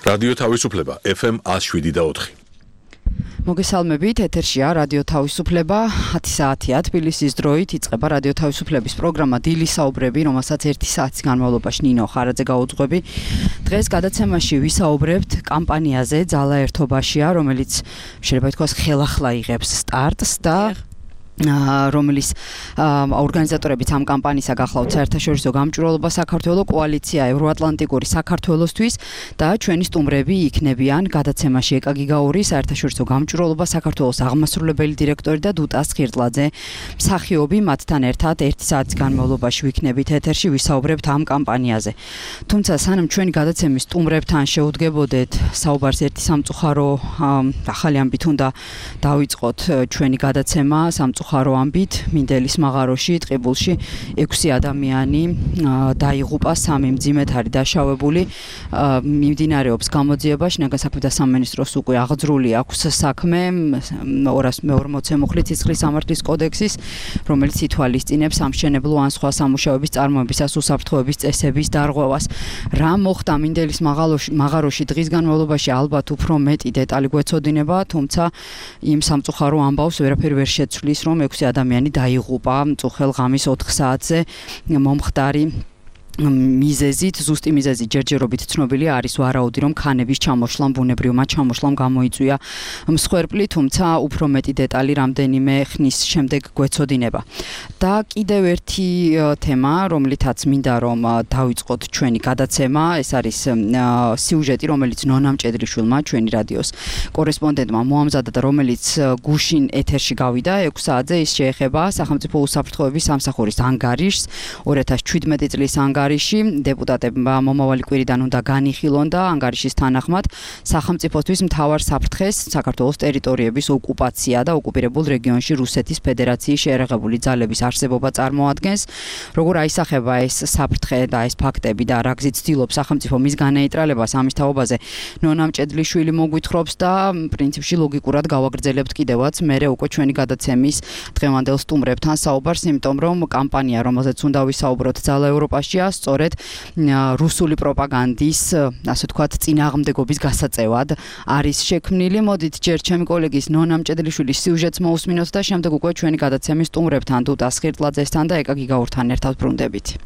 რადიო თავისუფლება FM 107.4. მოგესალმებით, ეთერშია რადიო თავისუფლება 10 საათია თბილისის დროით იწყება რადიო თავისუფლების პროგრამა დილის საუბრები, რომელსაც 1 საათის განმავლობაში ნინო ხარაძე გაუძღვები. დღეს გადაცემაში ვისაუბრებთ კამპანიაზე ძალა ერთობაშია, რომელიც შეიძლება ითქვას ხელახლა იღებს სტარტს და რომელიც ორგანიზატორებიც ამ კამპანიისა გახლავთ საერთაშორისო გამჭვირვალობა საქართველოს კოალიცია ევროატლანტიკური საქართველოსთვის და ჩვენი სტუმრები იქნებიან გადაცემაში ეკა გიგაური საერთაშორისო გამჭვირვალობა საქართველოს აღმასრულებელი დირექტორი და დუტა სხირტლაძე მსახიობი მათთან ერთად 1 საათის განმავლობაში ვიქნებით ეთერში ვისაუბრებთ ამ კამპანიაზე. თუმცა სანამ ჩვენი გადაცემის სტუმრებთან შევუდგებოდეთ საუბარს ერთი სამწუხარო ახალი ამბით უნდა დავიწყოთ ჩვენი გადაცემა სამწუხარო ამბით მინდელის მაღაროში ტყიბულში 6 ადამიანი დაიღუპა, 3 მძიმედ არის დაშავებული. მიმდინარეობს გამოძიება, შინაგან საქმეთა სამინისტროს უკვე აღძრული აქვს საქმე 240 მუხლი ცისხლის სამართლის კოდექსის, რომელიც ითვალისწინებს სამშენებლო ან სხვა სამუშაოების წარმოებისას უსაფრთხოების წესების დარღვევას. რა მოხდა მინდელის მაღაროში დღის განმავლობაში ალბათ უფრო მეტი დეტალი გვეცოდინება, თუმცა იმ სამწუხარო ამბავს ვერაფერი ვერ შეცვლის, რომ 6 ადამიანი დაიღუპა მწუხელ ღამის 4 საათზე მომხდარი მიზეზით, ზუსტი მიზეზი ჯერჯერობით ცნობილი არის ვარაუდი, რომ ქანების ჩამოშლამ, ბუნებრივმა ჩამოშლამ გამოიწვია მსხვერპლი, თუმცა უფრო მეტი დეტალი რამდენიმე ხნის შემდეგ გვეცოდინება. და კიდევ ერთი თემა, რომლითაც მინდა რომ დავიწყოთ ჩვენი გადაცემა, ეს არის სიუჟეტი, რომელიც ნონა მჭედრიშვილმა, ჩვენი რადიოს კორესპონდენტმა მოამზადა და რომელიც გუშინ ეთერში გავიდა 6 საათზე, ის შეეხება სახელმწიფო უსაფრთხოების სამსახურის ანგარიშს 2017 წლის ანგარიშს. დეპუტატებმა მომავალი კვირიდან უნდა განიხილონ და ანგარიშის თანახმად სახელმწიფოსთვის მთავარ საფრთხეს საქართველოს ტერიტორიების ოკუპაცია და ოკუპირებულ რეგიონში რუსეთის ფედერაციის შეერაღებული ძალების არსებობა წარმოადგენს. როგორ აისახება ეს საფრთხე და ეს ფაქტები და რა გზით ცდილობს სახელმწიფო მის განეიტრალებას, ამის თაობაზე ნონა მჭედლიშვილი მოგვითხრობს და პრინციპში ლოგიკურად გავაგრძელებთ კიდევაც მერე უკვე ჩვენი გადაცემის დღევანდელ სტუმრებთან საუბარს, იმიტომ რომ კამპანია, რომელზეც უნდა ვისაუბროთ ძალა ევროპაშია, სწორედ რუსული პროპაგანდის, ასე ვთქვათ, წინააღმდეგობის გასაწევად არის შექმნილი. მოდით ჯერ ჩემი კოლეგის ნონა მჭედლიშვილის სიუჟეტს მოусმინოთ და შემდეგ უკვე ჩვენი გადაცემის სტუმრებთან დუტა სხირტლაძესთან და ეკა გიგაურთან ერთად ბრუნდებით.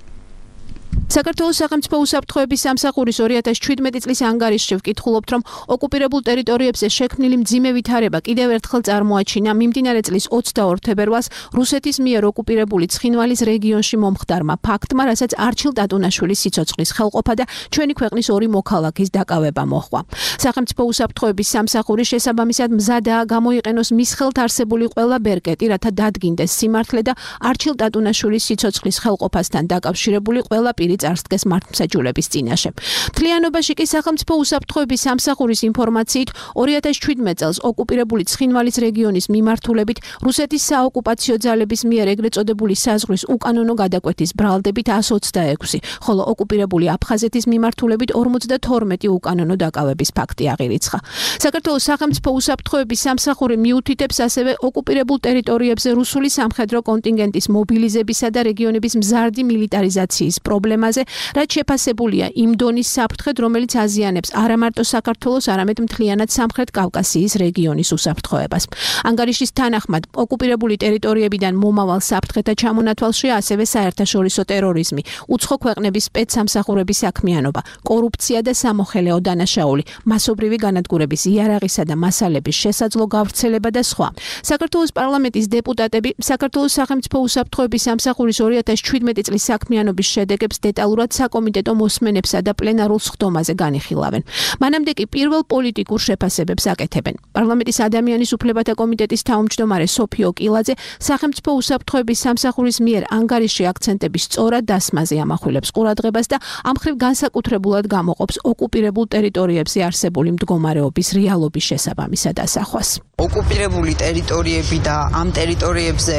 საქართველოს სახელმწიფო უსაფრთხოების სამსახურის 2017 წლის ანგარიშში ვკითხულობთ, რომ ოკუპირებულ ტერიტორიებზე შექმნილი მძიმე ვითარება კიდევ ერთხელ წარმოაჩინა მიმდინარე წლის 22 თებერვალს რუსეთის მიერ ოკუპირებული ცხინვალის რეგიონში მომხდარმა ფაქტმა, რასაც არჩილ ტატუნაშვილის სიცოცხლის ხელყოფა და ჩვენი ქვეყნის 2 მოქალაქის დაკავება მოჰყვა. სახელმწიფო უსაფრთხოების სამსახური შესაბამისად მზადაა გამოიყენოს მის ხელთ არსებული ყველა ბერკეტი, რათა დადგინდეს სიმართლე და არჩილ ტატუნაშვილის სიცოცხლის ხელყოფასთან დაკავშირებული ყველა პირი წარსდგეს მართლმსაჯულების წინაშე. მთლიანობაში კი სახელმწიფო უსაფრთხოების სამსახურის ინფორმაციით 2017 წელს ოკუპირებული ცხინვალის რეგიონის მიმართულებით რუსეთის საოკუპაციო ძალების მიერ ეგრეთ წოდებული საზღვრის უკანონო გადაკვეთის ბრალდებით 126, ხოლო ოკუპირებული აფხაზეთის მიმართულებით 52 უკანონო დაკავების ფაქტი აღირიცხა. საქართველოს სახელმწიფო უსაფრთხოების სამსახური მიუთითებს ასევე ოკუპირებულ ტერიტორიებზე რუსული სამხედრო კონტინგენტის მობილიზებისა და რეგიონების მზარდი მილიტარიზაციის პრობლემაზე, რაც შეფასებულია იმ დონის საფრთხედ, რომელიც აზიანებს არა მარტო საქართველოს, არამედ მთლიანად სამხრეთ კავკასიის რეგიონის უსაფრთხოებას. ანგარიშის თანახმად, ოკუპირებული ტერიტორიებიდან მომავალ საფრთხეთა ჩამონათვალშია ასევე საერთაშორისო ტერორიზმი, უცხო ქვეყნების სპეცსამსახურების საქმიანობა, კორუფცია და სამოხელეო დანაშაული, მასობრივი განადგურების იარაღისა და მასალების შესაძლო გავრცელება და სხვა. საქართველოს პარლამენტის დეპუტატები საქართველოს სახელმწიფო უსაფრთხოების სამსახურის 2017 წლის საქმიანობის შედეგებს დეტალურად საკომიტეტო მოსმენებსა და პლენარულ სხდომაზე განიხილავენ. მანამდე კი პირველ პოლიტიკურ შეფასებებს აკეთებენ. პარლამენტის ადამიანის უფლებათა კომიტეტის თავმჯდომარე სოფიო კილაძე სახელმწიფო უსაფრთხოების სამსახურის მიერ ანგარიში აქცენტების სწორად დასმაზე ამახვილებს ყურადღებას და ამ მხრივ განსაკუთრებულად გამოყოფს ოკუპირებულ ტერიტორიებზე არსებული მდგომარეობის რეალობის შესაბამისად ასახვას. ოკუპირებული ტერიტორიები და ამ ტერიტორიებზე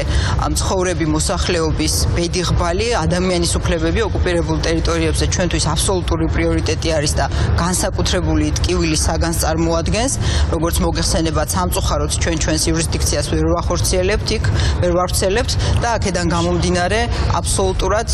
მცხოვრები მოსახლეობის ბედიღბალი ადამიანის უფლებები ოკუპირებულ ტერიტორიებზე ჩვენთვის აბსოლუტური პრიორიტეტი არის და განსაკუთრებული ტკივილი საგანს წარმოადგენს. როგორც მოგეხსენებათ, სამწუხაროდ ჩვენს იურისდიქციას ვერ ვახორციელებთ იქ, ვერ ვავრცელებთ და აქედან გამომდინარე აბსოლუტურად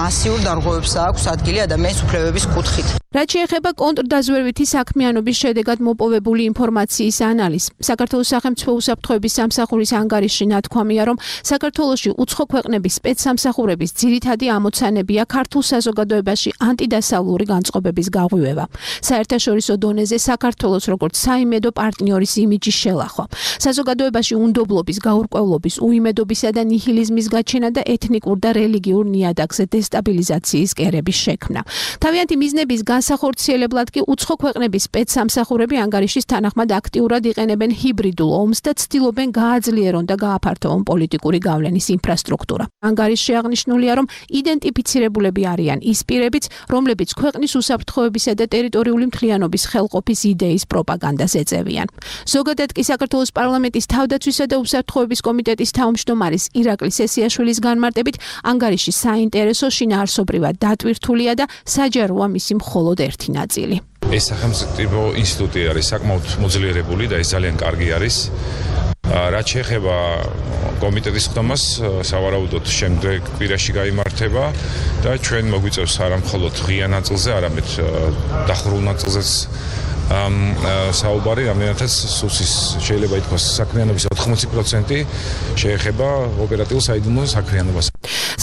მასიურ დარღვევებს აქვს ადგილი ადამიანის უფლებების კუთხით. რაც შეეხება კონტრდაზვერვითი საქმიანობის შედეგად მოპოვებული ინფორმაციის ანალიზს, საქართველოს სახელმწიფო უსაფრთხოების სამსახურის ანგარიშში ნათქვამია, რომ საქართველოში უცხო ქვეყნების სპეცსამსახურების ძირითადი ამოცანებია ქართულ საზოგადოებაში ანტიდასავლური განწყობების გაღვივება. საერთაშორისო დონეზე საქართველოს როგორც საიმედო პარტნიორის იმიჯის შელახვა. საზოგადოებაში უნდობლობის, გაურკვევლობის, უიმედობისა და ნიჰილიზმის გაჩენა და ეთნიკურ და რელიგიურ ნიადაგზე დესტაბილიზაციის კერების შექმნა. თავიანთი მიზნების განსახორციელებლად კი უცხო ქვეყნების სპეცსამსახურები ანგარიშის თანახმად აქტიურად იყენებენ ჰიბრიდულ ომს და ცდილობენ გააძლიერონ და გააფართოვონ პოლიტიკური გავლენის ინფრასტრუქტურა. ანგარიშში აღნიშნულია, რომ იდენტიფიცირებულები არიან ის პირებიც, რომლებიც ქვეყნის უსაფრთხოებისა და ტერიტორიული მთლიანობის ხელყოფის იდეის პროპაგანდას ეწევიან. ზოგადად კი საქართველოს პარლამენტის თავდაცვისა და უსაფრთხოების კომიტეტის თავმჯდომარის ირაკლი სესიაშვილის განმარტებით, ანგარიში საინტერესო, შინაარსობრივად დატვირთულია და საჯაროა მისი მხოლოდ ერთი ნაწილი. ეს სახელმწიფო ინსტიტუტი არის საკმაოდ მოძლიერებული და ეს ძალიან კარგი არის. რაც შეეხება კომიტეტის ხდომას, სავარაუდოდ შემდეგ კვირაში გაიმართება და ჩვენ მოგვიწევს არა მხოლოდ ღია ნაწილზე, არამედ დახურულ ნაწილზეც საუბარი, რამდენადაც სუსის შეიძლება ითქვას საქმიანობის 80% შეეხება ოპერატიულ საიდუმლო საქმიანობას.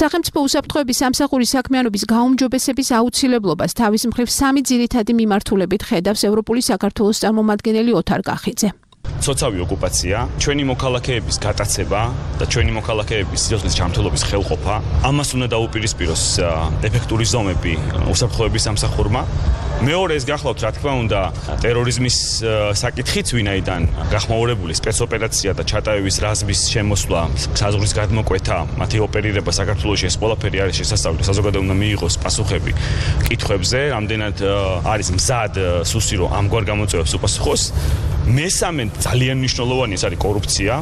სახელმწიფო უსაფრთხოების სამსახურის საქმიანობის გაუმჯობესების აუცილებლობას თავის მხრივ სამი ძირითადი მიმართულებით ხედავს ევროპული საქართველოს წარმომადგენელი ოთარ კახიძე. ცოცავი ოკუპაცია, ჩვენი მოქალაქეების გატაცება და ჩვენი მოქალაქეების სიცოცხლის ჯანმრთელობის ხელყოფა, ამას უნდა დაუპირისპიროს ეფექტური ზომები უსაფრთხოების სამსახურმა. მეორე ეს გახლავთ, რა თქმა უნდა, ტერორიზმის საკითხიც, ვინაიდან გახმაურებული სპეცოპერაცია და ჩატარების რაზმის შემოსვლა, საზღვრის გადმოკვეთა, მათი ოპერირება საქართველოში, ეს ყველაფერი არის შესაძლებელი. საზოგადოება უნდა მიიღოს პასუხები კითხვებზე, რამდენად არის მზად სუსი, რომ ამგვარ გამოწვევებს უპასუხოს. მესამე ძალიან მნიშვნელოვანი ეს არის კორუფცია.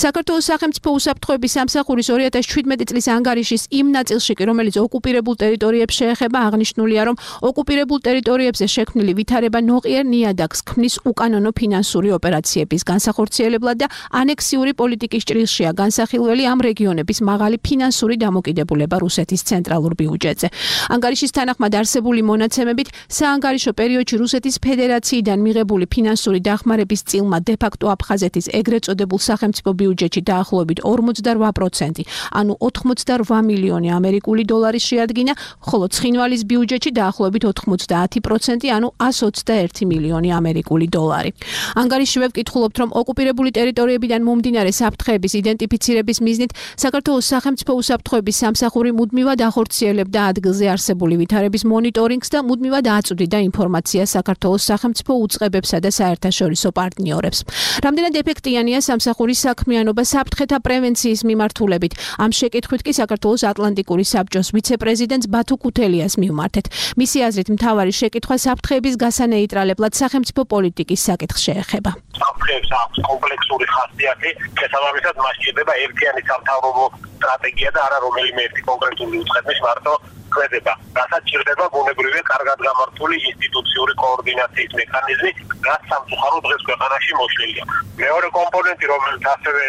საქართველოს სახელმწიფო უსაფრთხოების სამსახურის 2017 წლის ანგარიშის იმ ნაწილში, რომელიც ოკუპირებულ ტერიტორიებს შეეხება, აღნიშნულია, რომ ოკუპირებულ ტერიტორიებზე შექმნილი ვითარება ნოყიერ ნიადაგს ქმნის უკანონო ფინანსური ოპერაციების განსახორციელებლად და ანექსიური პოლიტიკის ჭრილშია განსახილველი ამ რეგიონების მაღალი ფინანსური დამოკიდებულება რუსეთის ცენტრალურ ბიუჯეტზე. ანგარიშის თანახმად არსებული მონაცემებით, საანგარიშო პერიოდში რუსეთის ფედერაციიდან მიღებული ფინანსური დახმარების წილმა დე-ფაქტო აფხაზეთის ეგრეთ წოდებულ სახელმწიფო ბიუჯეტში დაახლოებით 48%, ანუ 88 მილიონი ამერიკული დოლარი შეადგინა, ხოლო ცხინვალის ბიუჯეტში დაახლოებით 90%, ანუ 121 მილიონი ამერიკული დოლარი. ანგარიშშივე ვკითხულობთ, რომ ოკუპირებული ტერიტორიებიდან მომდინარე საფრთხეების იდენტიფიცირების მიზნით საქართველოს სახელმწიფო უსაფრთხოების სამსახური მუდმივად ახორციელებდა ადგილზე არსებული ვითარების მონიტორინგს და მუდმივად აწვდიდა ინფორმაციას საქართველოს სახელმწიფო უწყებებსა და საერთაშორისო პარტნიორებს. რამდენად ეფექტიანია სამსახურის საქმიანობა საფრთხეთა პრევენციის მიმართულებით? ამ შეკითხვით კი საქართველოს ატლანტიკური საბჭოს ვიცე-პრეზიდენტს ბათუ ქუთელიას მივმართეთ. მისი აზრით, მთავარი შეკითხვა საფრთხეების გასანეიტრალებლად სახელმწიფო პოლიტიკის საკითხს შეეხება. საფრთხეებს აქვს კომპლექსური ხასიათი, შესაბამისად მას სჭირდება ერთიანი სამთავრობო სტრატეგია და არა რომელიმე ერთი კონკრეტული უწყების მარტო ქმედება. რასაც სჭირდება ბუნებრივი კარგად გამართული ინსტიტუციური კოორდინაციის მექანიზმი, რაც სამწუხაროდ დღეს ქვეყანაში მოშლილია. მეორე კომპონენტი, რომელიც ასევე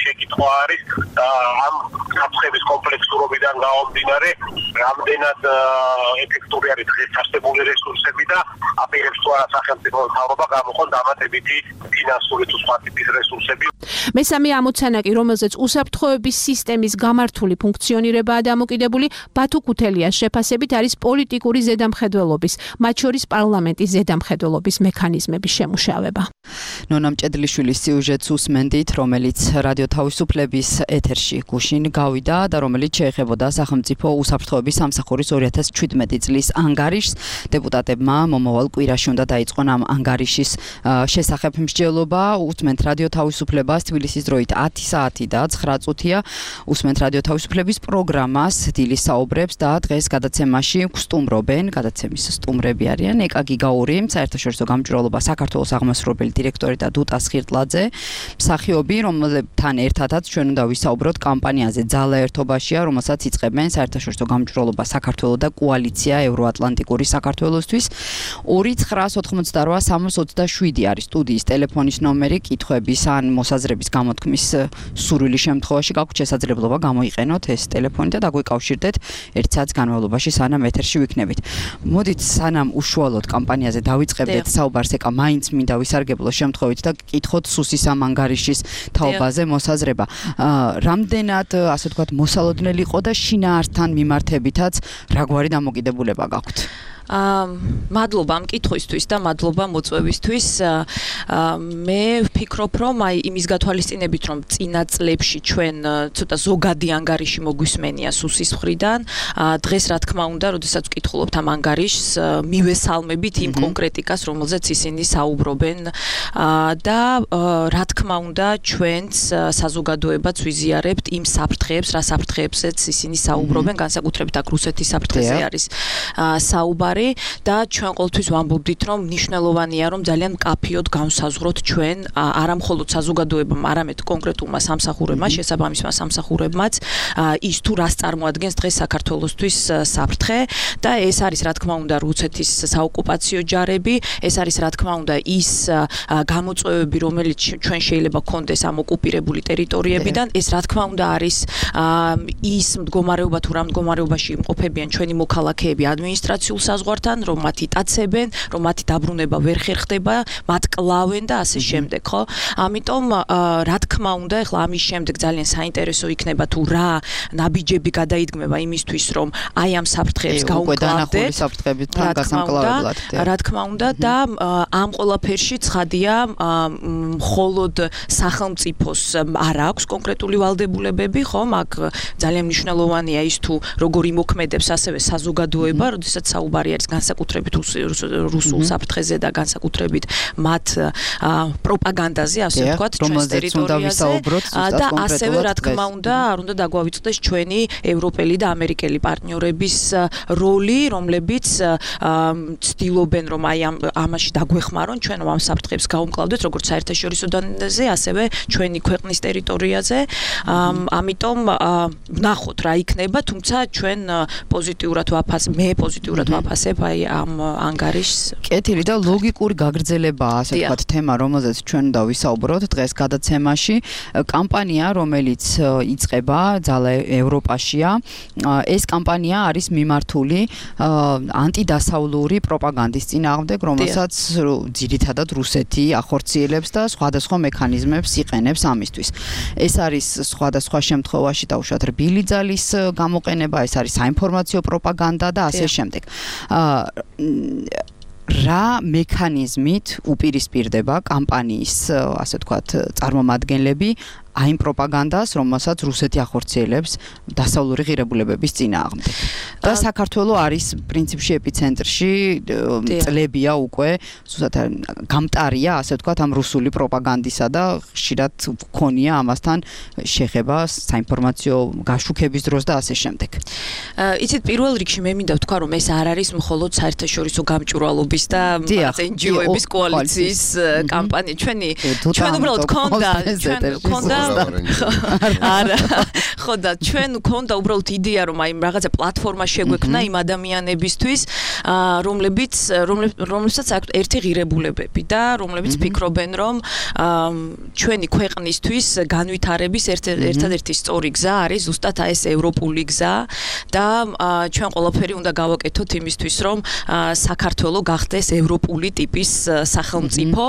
შეკითხვა არის, ამ საფრთხების კომპლექსურობიდან გამომდინარე, რამდენად ეფექტური არის დღეს არსებული რესურსები და აპირებს თუ არა სახელმწიფო მთავრობა გამოყონ დამატებითი ფინანსური თუ სხვა ტიპის რესურსები. მესამე ამოცანა კი, რომელზეც უსაფრთხოების სისტემის გამართული ფუნქციონირებაა დამოკიდებული, ბათუ ქუთელიას შეფასებით არის პოლიტიკური ზედამხედველობის, მათ შორის პარლამენტის ზედამხედველობის მექანიზმების შემუშავება. ნონა მჭედლიშვილის სიუჟეტს უსმენდით, რომელიც რადიო თავისუფლების ეთერში გუშინ გავიდა და რომელიც შეეხებოდა სახელმწიფო უსაფრთხოების სამსახურის 2017 წლის ანგარიშს. დეპუტატებმა მომავალ კვირაში უნდა დაიწყონ ამ ანგარიშის შესახებ მსჯელობა. უსმენთ რადიო თავისუფლებას თბილისის დროით 10 საათი და 9 წუთია. უსმენთ რადიო თავისუფლების პროგრამას, დილის საუბრებს და დღეს გადაცემაში გვსტუმრობენ, გადაცემის სტუმრები არიან ეკა გიგაური, საერთაშორისო გამჭვირვალობა საქართველოს აღმასრულებელი დირექტორი და დუტა სხირტლაძე, მსახიობი, რომელთან ერთადაც ჩვენ უნდა ვისაუბროთ კამპანიაზე ძალა ერთობაშია, რომელსაც იწყებენ საერთაშორისო გამჭვირვალობა საქართველოს და კოალიცია ევროატლანტიკური საქართველოსთვის. 2988327 არის სტუდიის ტელეფონის ნომერი, კითხვების ან მოსაზრების გამოთქმის სურვილის შემთხვევაში გაქვთ შესაძლებლობა გამოიყენოთ ეს ტელეფონი და დაგვიკავშირდეთ 1 განმავლობაში სანამ ეთერში ვიქნებით. მოდით სანამ უშუალოდ კამპანიაზე დავიწყებდეთ საუბარს, ეკა მაინც მინდა ვისარგებლო შემთხვევით და გკითხოთ სუსის ამ ანგარიშის თაობაზე მოსაზრება. რამდენად, ასე ვთქვათ, მოსალოდნელი იყო და შინაარსთან მიმართებითაც რაგვარი დამოკიდებულება გაქვთ? მადლობა ამ კითხვისთვის და მადლობა მოწვევისთვის. მე ვფიქრობ, რომ აი იმის გათვალისწინებით, რომ წინა წლებში ჩვენ ცოტა ზოგადი ანგარიში მოგვისმენია სუსის მხრიდან, დღეს რა თქმა უნდა, როდესაც ვკითხულობთ ამ ანგარიშს, მივესალმებით იმ კონკრეტიკას, რომელზეც ისინი საუბრობენ და რა თქმა უნდა, ჩვენც საზოგადოებაც ვიზიარებთ იმ საფრთხეებს, რა საფრთხეებზეც ისინი საუბრობენ, განსაკუთრებით აქ რუსეთის საფრთხეზე არის საუბარი. და ჩვენ ყოველთვის ვამბობდით, რომ მნიშვნელოვანია, რომ ძალიან მკაფიოდ განსაზღვროთ ჩვენ არა მხოლოდ საზოგადოებამ, არამედ კონკრეტულმა სამსახურებმა, შესაბამისმა სამსახურებმაც ის თუ რას წარმოადგენს დღეს საქართველოსთვის საფრთხე და ეს არის რა თქმა უნდა რუსეთის საოკუპაციო ჯარები, ეს არის რა თქმა უნდა ის გამოწვევები, რომელიც ჩვენ შეიძლება გქონდეს ამ ოკუპირებული ტერიტორიებიდან, ეს რა თქმა უნდა არის ის მდგომარეობა თუ რა მდგომარეობაში იმყოფებიან ჩვენი მოქალაქეები ადმინისტრაციულ საზღვართან, რომ მათ იტაცებენ, რომ მათი დაბრუნება ვერ ხერხდება, მათ კლავენ და ასე შემდეგ, ხო? ამიტომ რა თქმა უნდა, ახლა ამის შემდეგ ძალიან საინტერესო იქნება თუ რა ნაბიჯები გადაიდგმება იმისთვის, რომ აი ამ საფრთხეებს გაუმკლავდეთ. რა თქმა უნდა და ამ ყველაფერში ცხადია, მხოლოდ სახელმწიფოს არ აქვს კონკრეტული ვალდებულებები, ხო? აქ ძალიან მნიშვნელოვანია ის თუ როგორ იმოქმედებს ასევე საზოგადოება, როდესაც საუბარი არის განსაკუთრებით რუსულ საფრთხეზე და განსაკუთრებით მათ პროპაგანდაზე, ასე ვთქვათ, ჩვენს ტერიტორიაზე და ასევე რა თქმა უნდა, არ უნდა დაგვავიწყდეს ჩვენი ევროპელი და ამერიკელი პარტნიორების როლი, რომლებიც ცდილობენ, რომ აი ამაში დაგვეხმარონ, ჩვენ ამ საფრთხეებს გაუმკლავდეთ, როგორც საერთაშორისო დონეზე, ასევე ჩვენი ქვეყნის ტერიტორიაზე. ამიტომ ვნახოთ რა იქნება, თუმცა ჩვენ პოზიტიურად ვაფასებ აი ამ ანგარიშს. კეთილი და ლოგიკური გაგრძელებაა, ასე ვთქვათ, თემა, რომელზეც ჩვენ უნდა ვისაუბროთ დღეს გადაცემაში. კამპანია, რომელიც იწყება ძალა ევროპაშია, ეს კამპანია არის მიმართული ანტიდასავლური პროპაგანდის წინააღმდეგ, რომელსაც ძირითადად რუსეთი ახორციელებს და სხვადასხვა მექანიზმებს იყენებს ამისთვის. ეს არის სხვადასხვა შემთხვევაში დაუშვათ რბილი ძალის გამოყენება, ეს არის საინფორმაციო პროპაგანდა და ასე შემდეგ. რა მექანიზმით უპირისპირდება კამპანიის, ასე ვთქვათ, წარმომადგენლები აი იმ პროპაგანდას, რომელსაც რუსეთი ახორციელებს დასავლური ღირებულებების წინააღმდეგ. და საქართველო არის პრინციპში ეპიცენტრში, წლებია უკვე, ზუსტად გამტარია, ასე ვთქვათ, ამ რუსული პროპაგანდისა და ხშირად გქონია ამასთან შეხება საინფორმაციო გაშუქების დროს და ასე შემდეგ. იცით, პირველ რიგში მე მინდა ვთქვა, რომ ეს არ არის მხოლოდ საერთაშორისო გამჭვირვალობის და NGO-ების კოალიციის კამპანია. ჩვენ უბრალოდ გქონდა არა, ხო და ჩვენ გქონდა უბრალოდ იდეა, რომ აი რაღაცა პლატფორმა შეგვექმნა იმ ადამიანებისთვის, რომლებსაც აქვს ერთი ღირებულებები და რომლებიც ფიქრობენ, რომ ჩვენი ქვეყნისთვის განვითარების ერთადერთი სწორი გზა არის ზუსტად აი ეს ევროპული გზა და ჩვენ ყველაფერი უნდა გავაკეთოთ იმისთვის, რომ საქართველო გახდეს ევროპული ტიპის სახელმწიფო.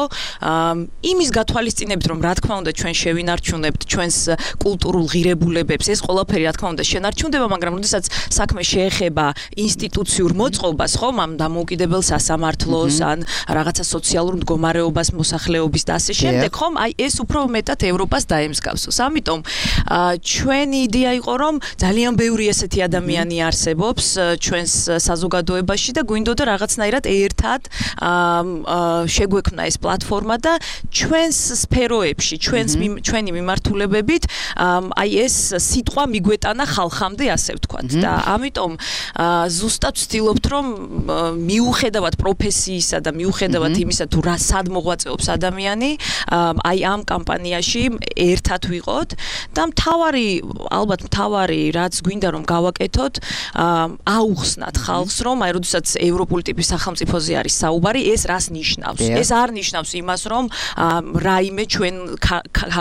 იმის გათვალისწინებით, რომ რა თქმა უნდა ჩვენ შევინარჩუნებთ ჩვენს კულტურულ ღირებულებებს, ეს ყველაფერი რა თქმა უნდა შენარჩუნდება, მაგრამ როდესაც საქმე შეეხება ინსტიტუციურ მოწყობას, ხომ, ამ დამოუკიდებელ სასამართლოს, ან რაღაცა სოციალურ მდგომარეობას, მოსახლეობის და ასე შემდეგ, ხომ, აი ეს უფრო მეტად ევროპას დაემსგავსოს. ამიტომ ჩვენი იდეა იყო, რომ ძალიან ბევრი ესეთი ადამიანი არსებობს ჩვენს საზოგადოებაში და გვინდოდა რაღაცნაირად ერთად შეგვექმნა ეს პლატფორმა და ჩვენს სფეროებში, ჩვენი მიმართულებებით, აი ეს სიტყვა მიგვეტანა ხალხამდე, ასე ვთქვათ. და ამიტომ ზუსტად ვცდილობთ, რომ მიუხედავად პროფესიისა და მიუხედავად იმისა, თუ რა სად მოღვაწეობს ადამიანი, აი ამ კამპანიაში ერთად ვიყოთ და ალბათ მთავარი, რაც გვინდა რომ გავაკეთოთ, აუხსნათ ხალხს, რომ აი როდესაც ევროპული ტიპის სახელმწიფოზე არის საუბარი, ეს რას ნიშნავს? ეს არ ნიშნავს იმას, რომ რაიმე ჩვენ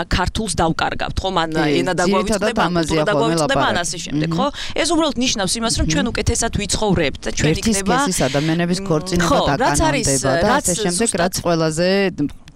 ქართულს დავკარგავთ, ხო, მან ენა დაგვავიწყდება, კულტურა დაგვავიწყდება, ან ასე შემდეგ, ხო? ეს უბრალოდ ნიშნავს იმას, რომ ჩვენ უკეთესად ვიცხოვრებთ და ჩვენ იქნება ერთის ადამიანების ქორწინება დაკანონდება და ასე შემდეგ, რაც ყველაზე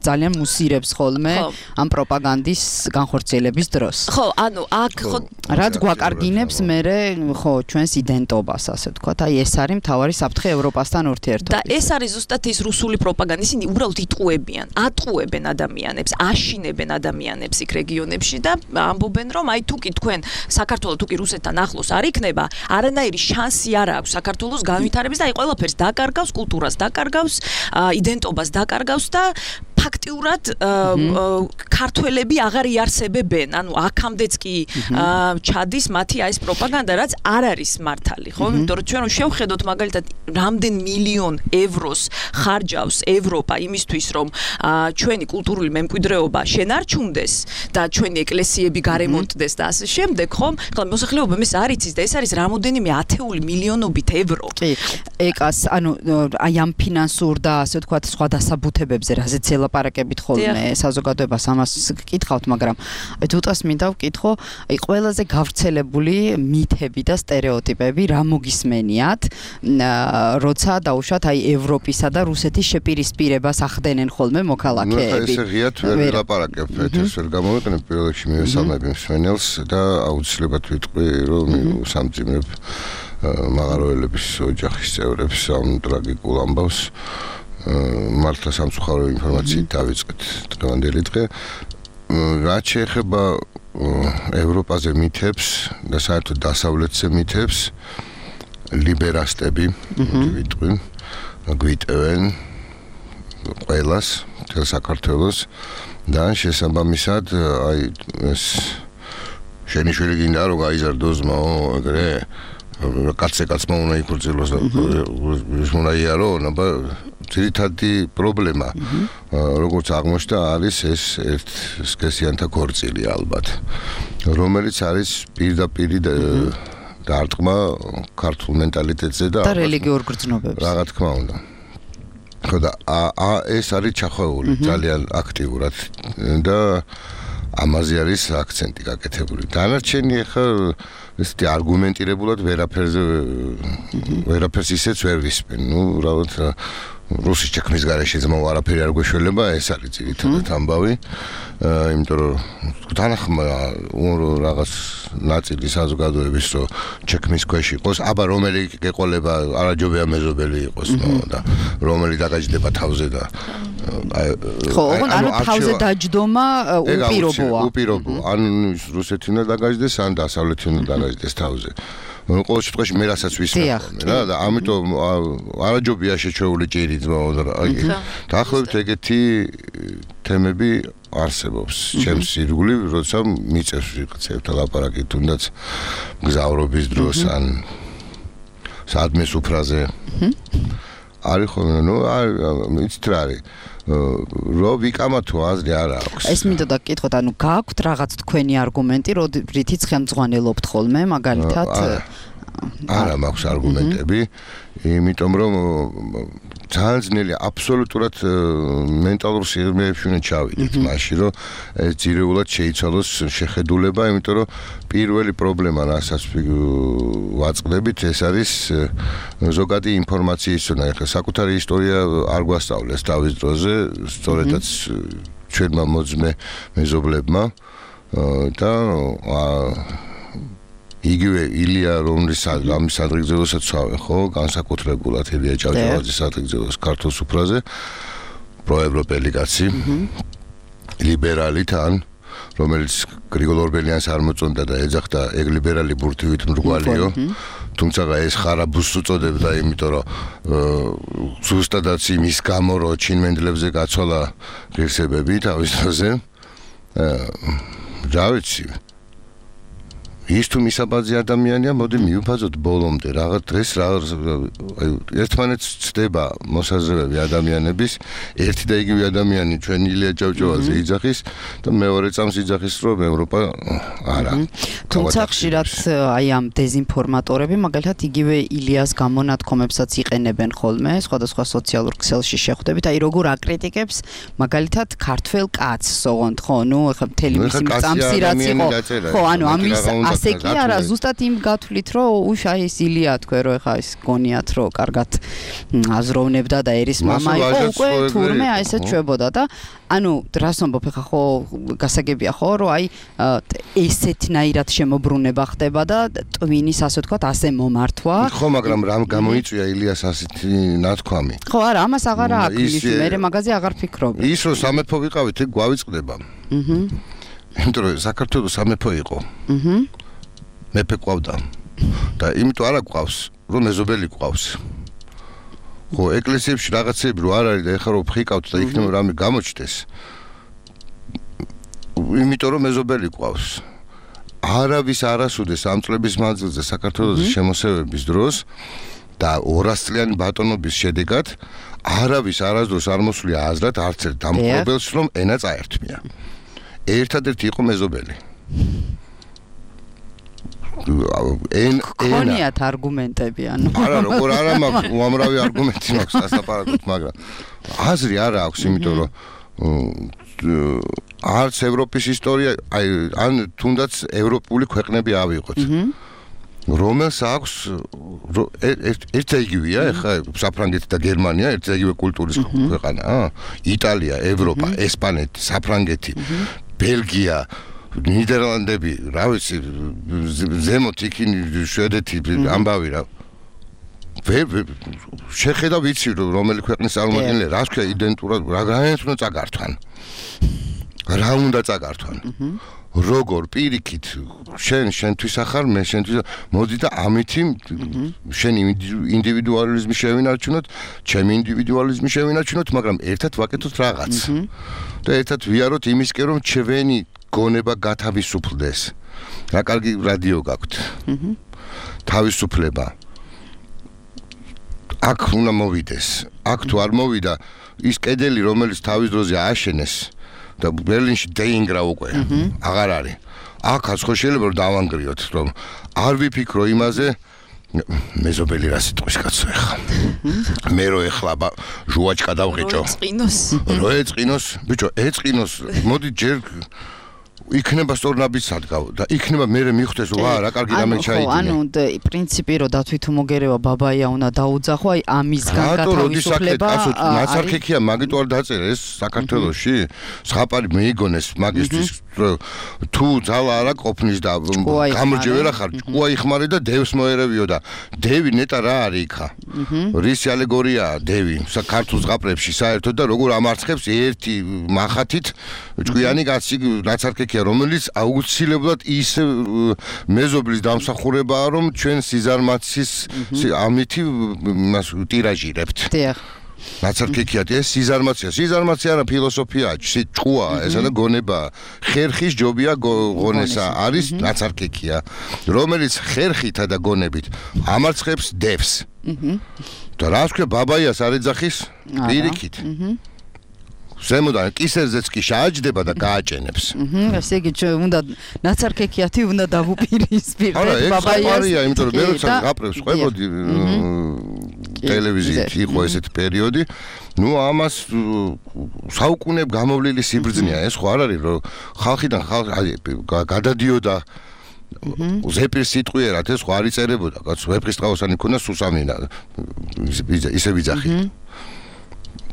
ძალიან მუსირებს ხოლმე ამ პროპაგანდის განხორციელების დროს. ხო, ანუ აქ ხო რაც გვაკარგინებს მერე ხო ჩვენს იდენტობას, ასე ვთქვათ. აი ეს არის მთავარი საფრთხე ევროპასთან ურთიერთობით. და ეს არის ზუსტად ის რუსული პროპაგანდა. ისინი უბრალოდ იტყუებიან, ატყუებენ ადამიანებს, აშინებენ ადამიანებს იქ რეგიონებში და ამბობენ, რომ აი თუკი თქვენ საქართველოს თუკი რუსეთთან ახლოს არ იქნება, არანაირი შანსი არ აქვს საქართველოს განვითარების და აი ყველაფერს დაკარგავს, კულტურას დაკარგავს, იდენტობას დაკარგავს და ფაქტიურად ქართველები აღარ იარსებებენ, ანუ აქამდეც კი ჩადის მათი ეს პროპაგანდა, რაც არ არის მართალი, ხო? იმიტომ რომ ჩვენ შევხედოთ მაგალითად რამდენ მილიონ ევროს ხარჯავს ევროპა იმისთვის, რომ ჩვენი კულტურული მემკვიდრეობა შენარჩუნდეს და ჩვენი ეკლესიები გარემონტდეს და ასე შემდეგ, ხო? ხლა მოსახლეობამ ეს არ იცის და ეს არის რამოდენიმე ათეული მილიონობით ევრო. კი, ეკას, ანუ აი ამ ფინანსურ და ასე ვთქვათ სხვა დასაბუთებებზე რაზეც ლაპარაკებით ხოლმე საზოგადოებას ამას გკითხავთ, მაგრამ თუთას მინდა ვკითხო, აი ყველაზე გავრცელებული მითები და სტერეოტიპები რა მოგისმენიათ, როცა დაუშვათ აი ევროპისა და რუსეთის შეპირისპირებას ახდენენ ხოლმე მოქალაქეები. ესე ღიად ვერ ლაპარაკებ, ეთერს ვერ გამოვიყენებ, პირველ რიგში მივესალმები მსმენელს და აუცილებლად ვიტყვი, რომ სამძიმრებ მაღაროელების ოჯახის წევრებს ამ ტრაგიკულ ამბავს მართლა სამწუხარო ინფორმაციით დავიწყეთ დღევანდელი დღე. რაც შეეხება ევროპაზე მითებს და საერთოდ დასავლეთზე მითებს, ლიბერასტები ვიტყვი, გვიტევენ ყველას, მთელ საქართველოს და შესაბამისად აი ეს შენი შვილი გინდა რომ გაიზარდოს მაო ეგრე კაცმა უნდა იქორწილოს და ის უნდა იარო, აბა ძირითადი პრობლემა როგორც აღმოჩნდა არის ეს ერთ სქესიანთა ქორწილი ალბათ, რომელიც არის პირდაპირ დარტყმა ქართულ მენტალიტეტზე და რელიგიურ გრძნობებზე. რა თქმა უნდა. ხო და ეს არის ჩახვეული ძალიან აქტიურად და ამაზე არის აქცენტი გაკეთებული. დანარჩენი ახლა ესეთი არგუმენტირებულად ვერაფერს ისეც ვერ ვისმენ. ნუ რავად რუსის ჩექმის გარეშე ძმაო არაფერი არ გვეშველება, ეს არის ძირითადად ამბავი. იმიტომ რომ თანახმა რაღაც ნაწილი საზოგადოების რო ჩექმის ქვეშ იყოს, აბა რომელი გეყოლება არაჯობია მეზობელი იყოს, და რომელი დაგაჯდება თავზე და ხო, ანუ თავზე დაჯდომა უპირობოა. უპირობოა. ან რუსეთი უნდა დაგაჯდეს, ან დასავლეთი უნდა დაგაჯდეს თავზე. ყოველ შემთხვევაში მე რასაც ვისმენთ რა და ამიტომ არაჯობია შეჩეული ჭირი ძმაო და დაახლოებით ეგეთი თემები არსებობს ჩემს ირგვლივ, როცა მიწევს ვიღაცებთან ლაპარაკი, თუნდაც გზავრობის დროს ან სადმე სუფრაზე. არის ხოლმე, ნუ იცით რა არის. რო ვიკამათო აზრი არ აქვს. ეს მინდა გაკითხოთ, ანუ გააქვთ რაღაც თქვენი არგუმენტი, რითიც ხელმძღვანელობთ ხოლმე, მაგალითად? არა მაქვს არგუმენტები, იმიტომ რომ ძალიან ძნელია აბსოლუტურად მენტალურ სიღრმეებში უნდა ჩავიდეთ მაშინ, რომ ეს ძირეულად შეიცვალოს შეხედულება, იმიტომ რომ პირველი პრობლემა, რასაც ვაწყდებით, ეს არის ზოგადი ინფორმაციის ზონა. ეხლა საკუთარი ისტორია არ გვასწავლეს თავის დროზე, სწორედაც ჩვენმა მოძმე მეზობლებმა და იგივე ილია რომლის ამის ადრიგზელოსაც ვავე, ხო, განსაკუთრებულად ილია ჭავჭავაძის ადრიგზელოს ქართულ სუფრაზე, პროევროპელი კაცი, ლიბერალი თან, რომელიც გრიგოლ ორბელიანს არ მოწონდა და ეძახდა ეგ ლიბერალი ბურთივით მრგვალიო, თუმცა ეს ხარაბუს უწოდებდა, იმიტომ რომ ზუსტადაც იმის გამო, რომ ჩინმენდლებზე გაცვალა ღირსებები თავის დროზე. რა ვიცი, ის თუ მისაბაძი ადამიანია, მოდი მივფაზოთ ბოლომდე, რაღაც დღეს ერთმანეთს ცდება მოსაზრებები ადამიანების, ერთი და იგივე ადამიანი ჩვენ ილია ჭავჭავაძე იძახის და მეორე წამს იძახის, რომ ევროპა არა. თუმცა ხშირად აი ამ დეზინფორმატორები მაგალითად იგივე ილიას გამონათქვამებსაც იყენებენ ხოლმე სხვადასხვა სოციალურ ქსელში შეხვდებით აი როგორ აკრიტიკებს მაგალითად ქართველ კაცს ოღონდ ხო ნუ ეხლა მთელი მისი წამსი რაც იყო ხო ანუ ამის ასე კი არა ზუსტად იმ გათვლით რომ უშ აი ეს ილია თქვენ რომ ეხლა ეს გონიათ რომ კარგად აზროვნებდა და ერის მამა იყო უკვე თურმე აი ესე ჩვებოდა და ანუ რას ვამბობ ეხლა ხო გასაგებია ხო რომ აი ესეთნაირად შემოbrunება ხდება და ტვინის ასე ვთქვათ ასე მომართვა ხო მაგრამ რამ გამოიწვია ილიას ასეთი ნათქვამი ხო არა ამას აღარ აქვს მე მაგაზე აღარ ფიქრობ ის რომ სამეფო ვიყავით ეგ გვავიწყდება იმიტომ რომ საქართველოს სამეფო იყო მეფე ყავდა და იმიტომ არა ყავს რომ მეზობელი ყავს ხო ეკლესიებში რაღაცები რო არ არის და ეხლა რო ფხიკავთ და იქნება რამე გამოჩდეს იმიტომ რომ მეზობელი ყავს არავის არასუდეს ამ წლების მანძილზე საქართველოს შემოსევების დროს და 200 წლიანი ბატონობის შედეგად არავის არასდროს არ მოსვლია აზრად არც ერთ დამპყრობელს რომ ენა წაერთმია ერთადერთი იყო მეზობელი ქონიათ არგუმენტები ანუ არა როგორ არა მაქვს უამრავი არგუმენტი მაქვს ასაპარაკოთ მაგრამ აზრი არა აქვს იმიტომ რომ არც ევროპის ისტორია აი ან თუნდაც ევროპული ქვეყნები ავიღოთ რომელს აქვს ერთზე იგივეა ეხლა საფრანგეთი და გერმანია ერთზე იგივე კულტურის ქვეყანაა იტალია ევროპა ესპანეთი საფრანგეთი ბელგია ნიდერლანდები რა ვიცი ზემოთ იქინი შვედეთი ამბავი რა შეხედა ვიცი რომელი ქვეყნის წარმომადგენელი რას ქვია იდენტურად რა უნდა წაგართვან რა უნდა წაგართვან როგორ პირიქით შენთვის ახარ მე შენთვის მოდი და ამითი შენი ინდივიდუალიზმი შევინარჩუნოთ ჩემი ინდივიდუალიზმი შევინარჩუნოთ მაგრამ ერთად ვაკეთოთ რაღაც და ერთად ვიაროთ იმისკენ რომ ჩვენი გონება გათავისუფლდეს რა კარგი რადიო გაქვთ თავისუფლება აქ უნდა მოვიდეს აქ თუ არ მოვიდა ის კედელი რომელიც თავის დროზე ააშენეს და ბერლინში დაინგრა უკვე აღარ არის აქაც ხო შეიძლება რომ დავანგრიოთ რომ არ ვიფიქრო იმაზე მეზობელი რა სიტყვის კაცო ეხლა მე რო ეხლა ჟუაჩკა დავღიჭო რო ეწყინოს ბიჭო ეწყინოს მოდი ჯერ იქნება სწორნაბის სადგავ და იქნება მე მიხდეს ვა რა კარგი რამე ჩაიდინე ანუ პრინციპი რომ დათვით უმოგერევა ბაბაია უნდა დაუძახო აი ამისგან გათავისუფლება ნაცარქექია მაგით არ დაწერეს საქართველოში სხაპარი მეიგონეს მაგისტრის თუ ძალა არა ყოფნის და გამრჯვერა ხარ ჭკუა იხმარე და დევს მოერევიო და დევი ნეტა რა არის იქა რისი ალეგორიაა დევი საქართველოს ზღაპრებში საერთოდ და როგორ ამარცხებს ერთი მახათით ჭკვიანი კაცი ნაცარქექია რომელიც აუცილებლად ის მეზობლის დამსახურებაა რომ ჩვენ სიზარმაცის ამითი ტირაჟირებთ ნაცარქექია ეს სიზარმაცია არა ფილოსოფიაა ჭკუაა ესა და გონება ხერხის ჯობია ღონესა არის ნაცარქექია რომელიც ხერხითა და გონებით ამარცხებს დევს და რა თქვა ბაბაიას არ ეძახის პირიქით ზემოდან კისერზეც კი შააჯდება და გააჭენებს. ესე იგი უნდა ნაცარქექიათი უნდა დავუპირისპირდეთ ბაბაიას. არა, ეს იმიტომ რომ მე როცა გაპრებს ყვებოდი ტელევიზიით იყო ესეთი პერიოდი, ნუ ამას საუკუნე გამოვლილი სიბრძნეა ეს ხო არ არის რომ ხალხიდან გადადიოდა ზეპირ სიტყვიერად ეს ხო არ იწერებოდა, კაც ვეფხისტყაოსანი ქონდა სუსამინა ისე ვიძახი.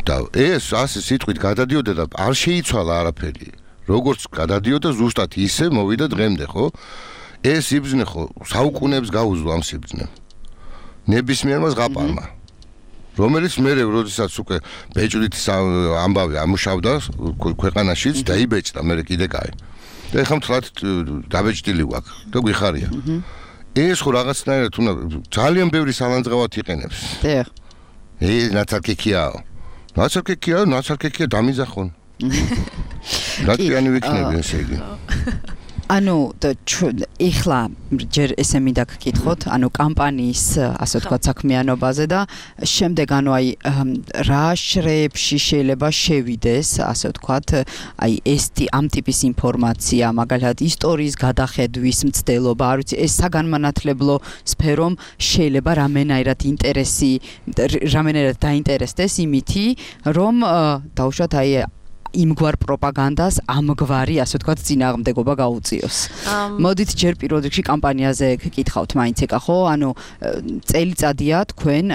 და ეს ასე სიტყვით გადადიოდა და არ შეიცვალა არაფერი. როგორც გადადიოდა ზუსტად ისე მოვიდა დღემდე, ხო? ეს სიბრძნე ხო საუკუნეებს გაუძლო ამ სიბრძნემ. ნებისმიერმა ზღაპარმა. რომელიც მე როდესაც უკვე ბეჭდით ამბავი ამუშავდა ქვეყანაშიც დაიბეჭდა მე კიდე კაი. და ეხლა მთლად დაბეჭდილი ვაკ და გვიხარია. ეს ხო რაღაცნაირად უნდა ძალიან ბევრი სალანძღავად იყენებს. დიახ. ეს ნაცარქექიაო. ნაცარქექია დამიზახონ. რატიანი ვიქნები ესე იგი. ანუ ეხლა ჯერ ესე მინდა გკითხოთ, ანუ კამპანიის ასე ვთქვათ საქმიანობაზე და შემდეგ ანუ აი რა შრეებში შეიძლება შევიდეს, ასე ვთქვათ, აი ამ ტიპის ინფორმაცია, მაგალითად ისტორიის გადახედვის მცდელობა, არ ვიცი, ეს საგანმანათლებლო სფერომ შეიძლება რამენაირად დაინტერესდეს იმითი, რომ დაუშვათ აი იმგვარ პროპაგანდას ამგვარი, ასე ვთქვათ, წინააღმდეგობა გაუწიოს. მოდით ჯერ პირველ რიგში კამპანიაზე გკითხავთ მაინც ეკა ხო? ანუ წელიწადია თქვენ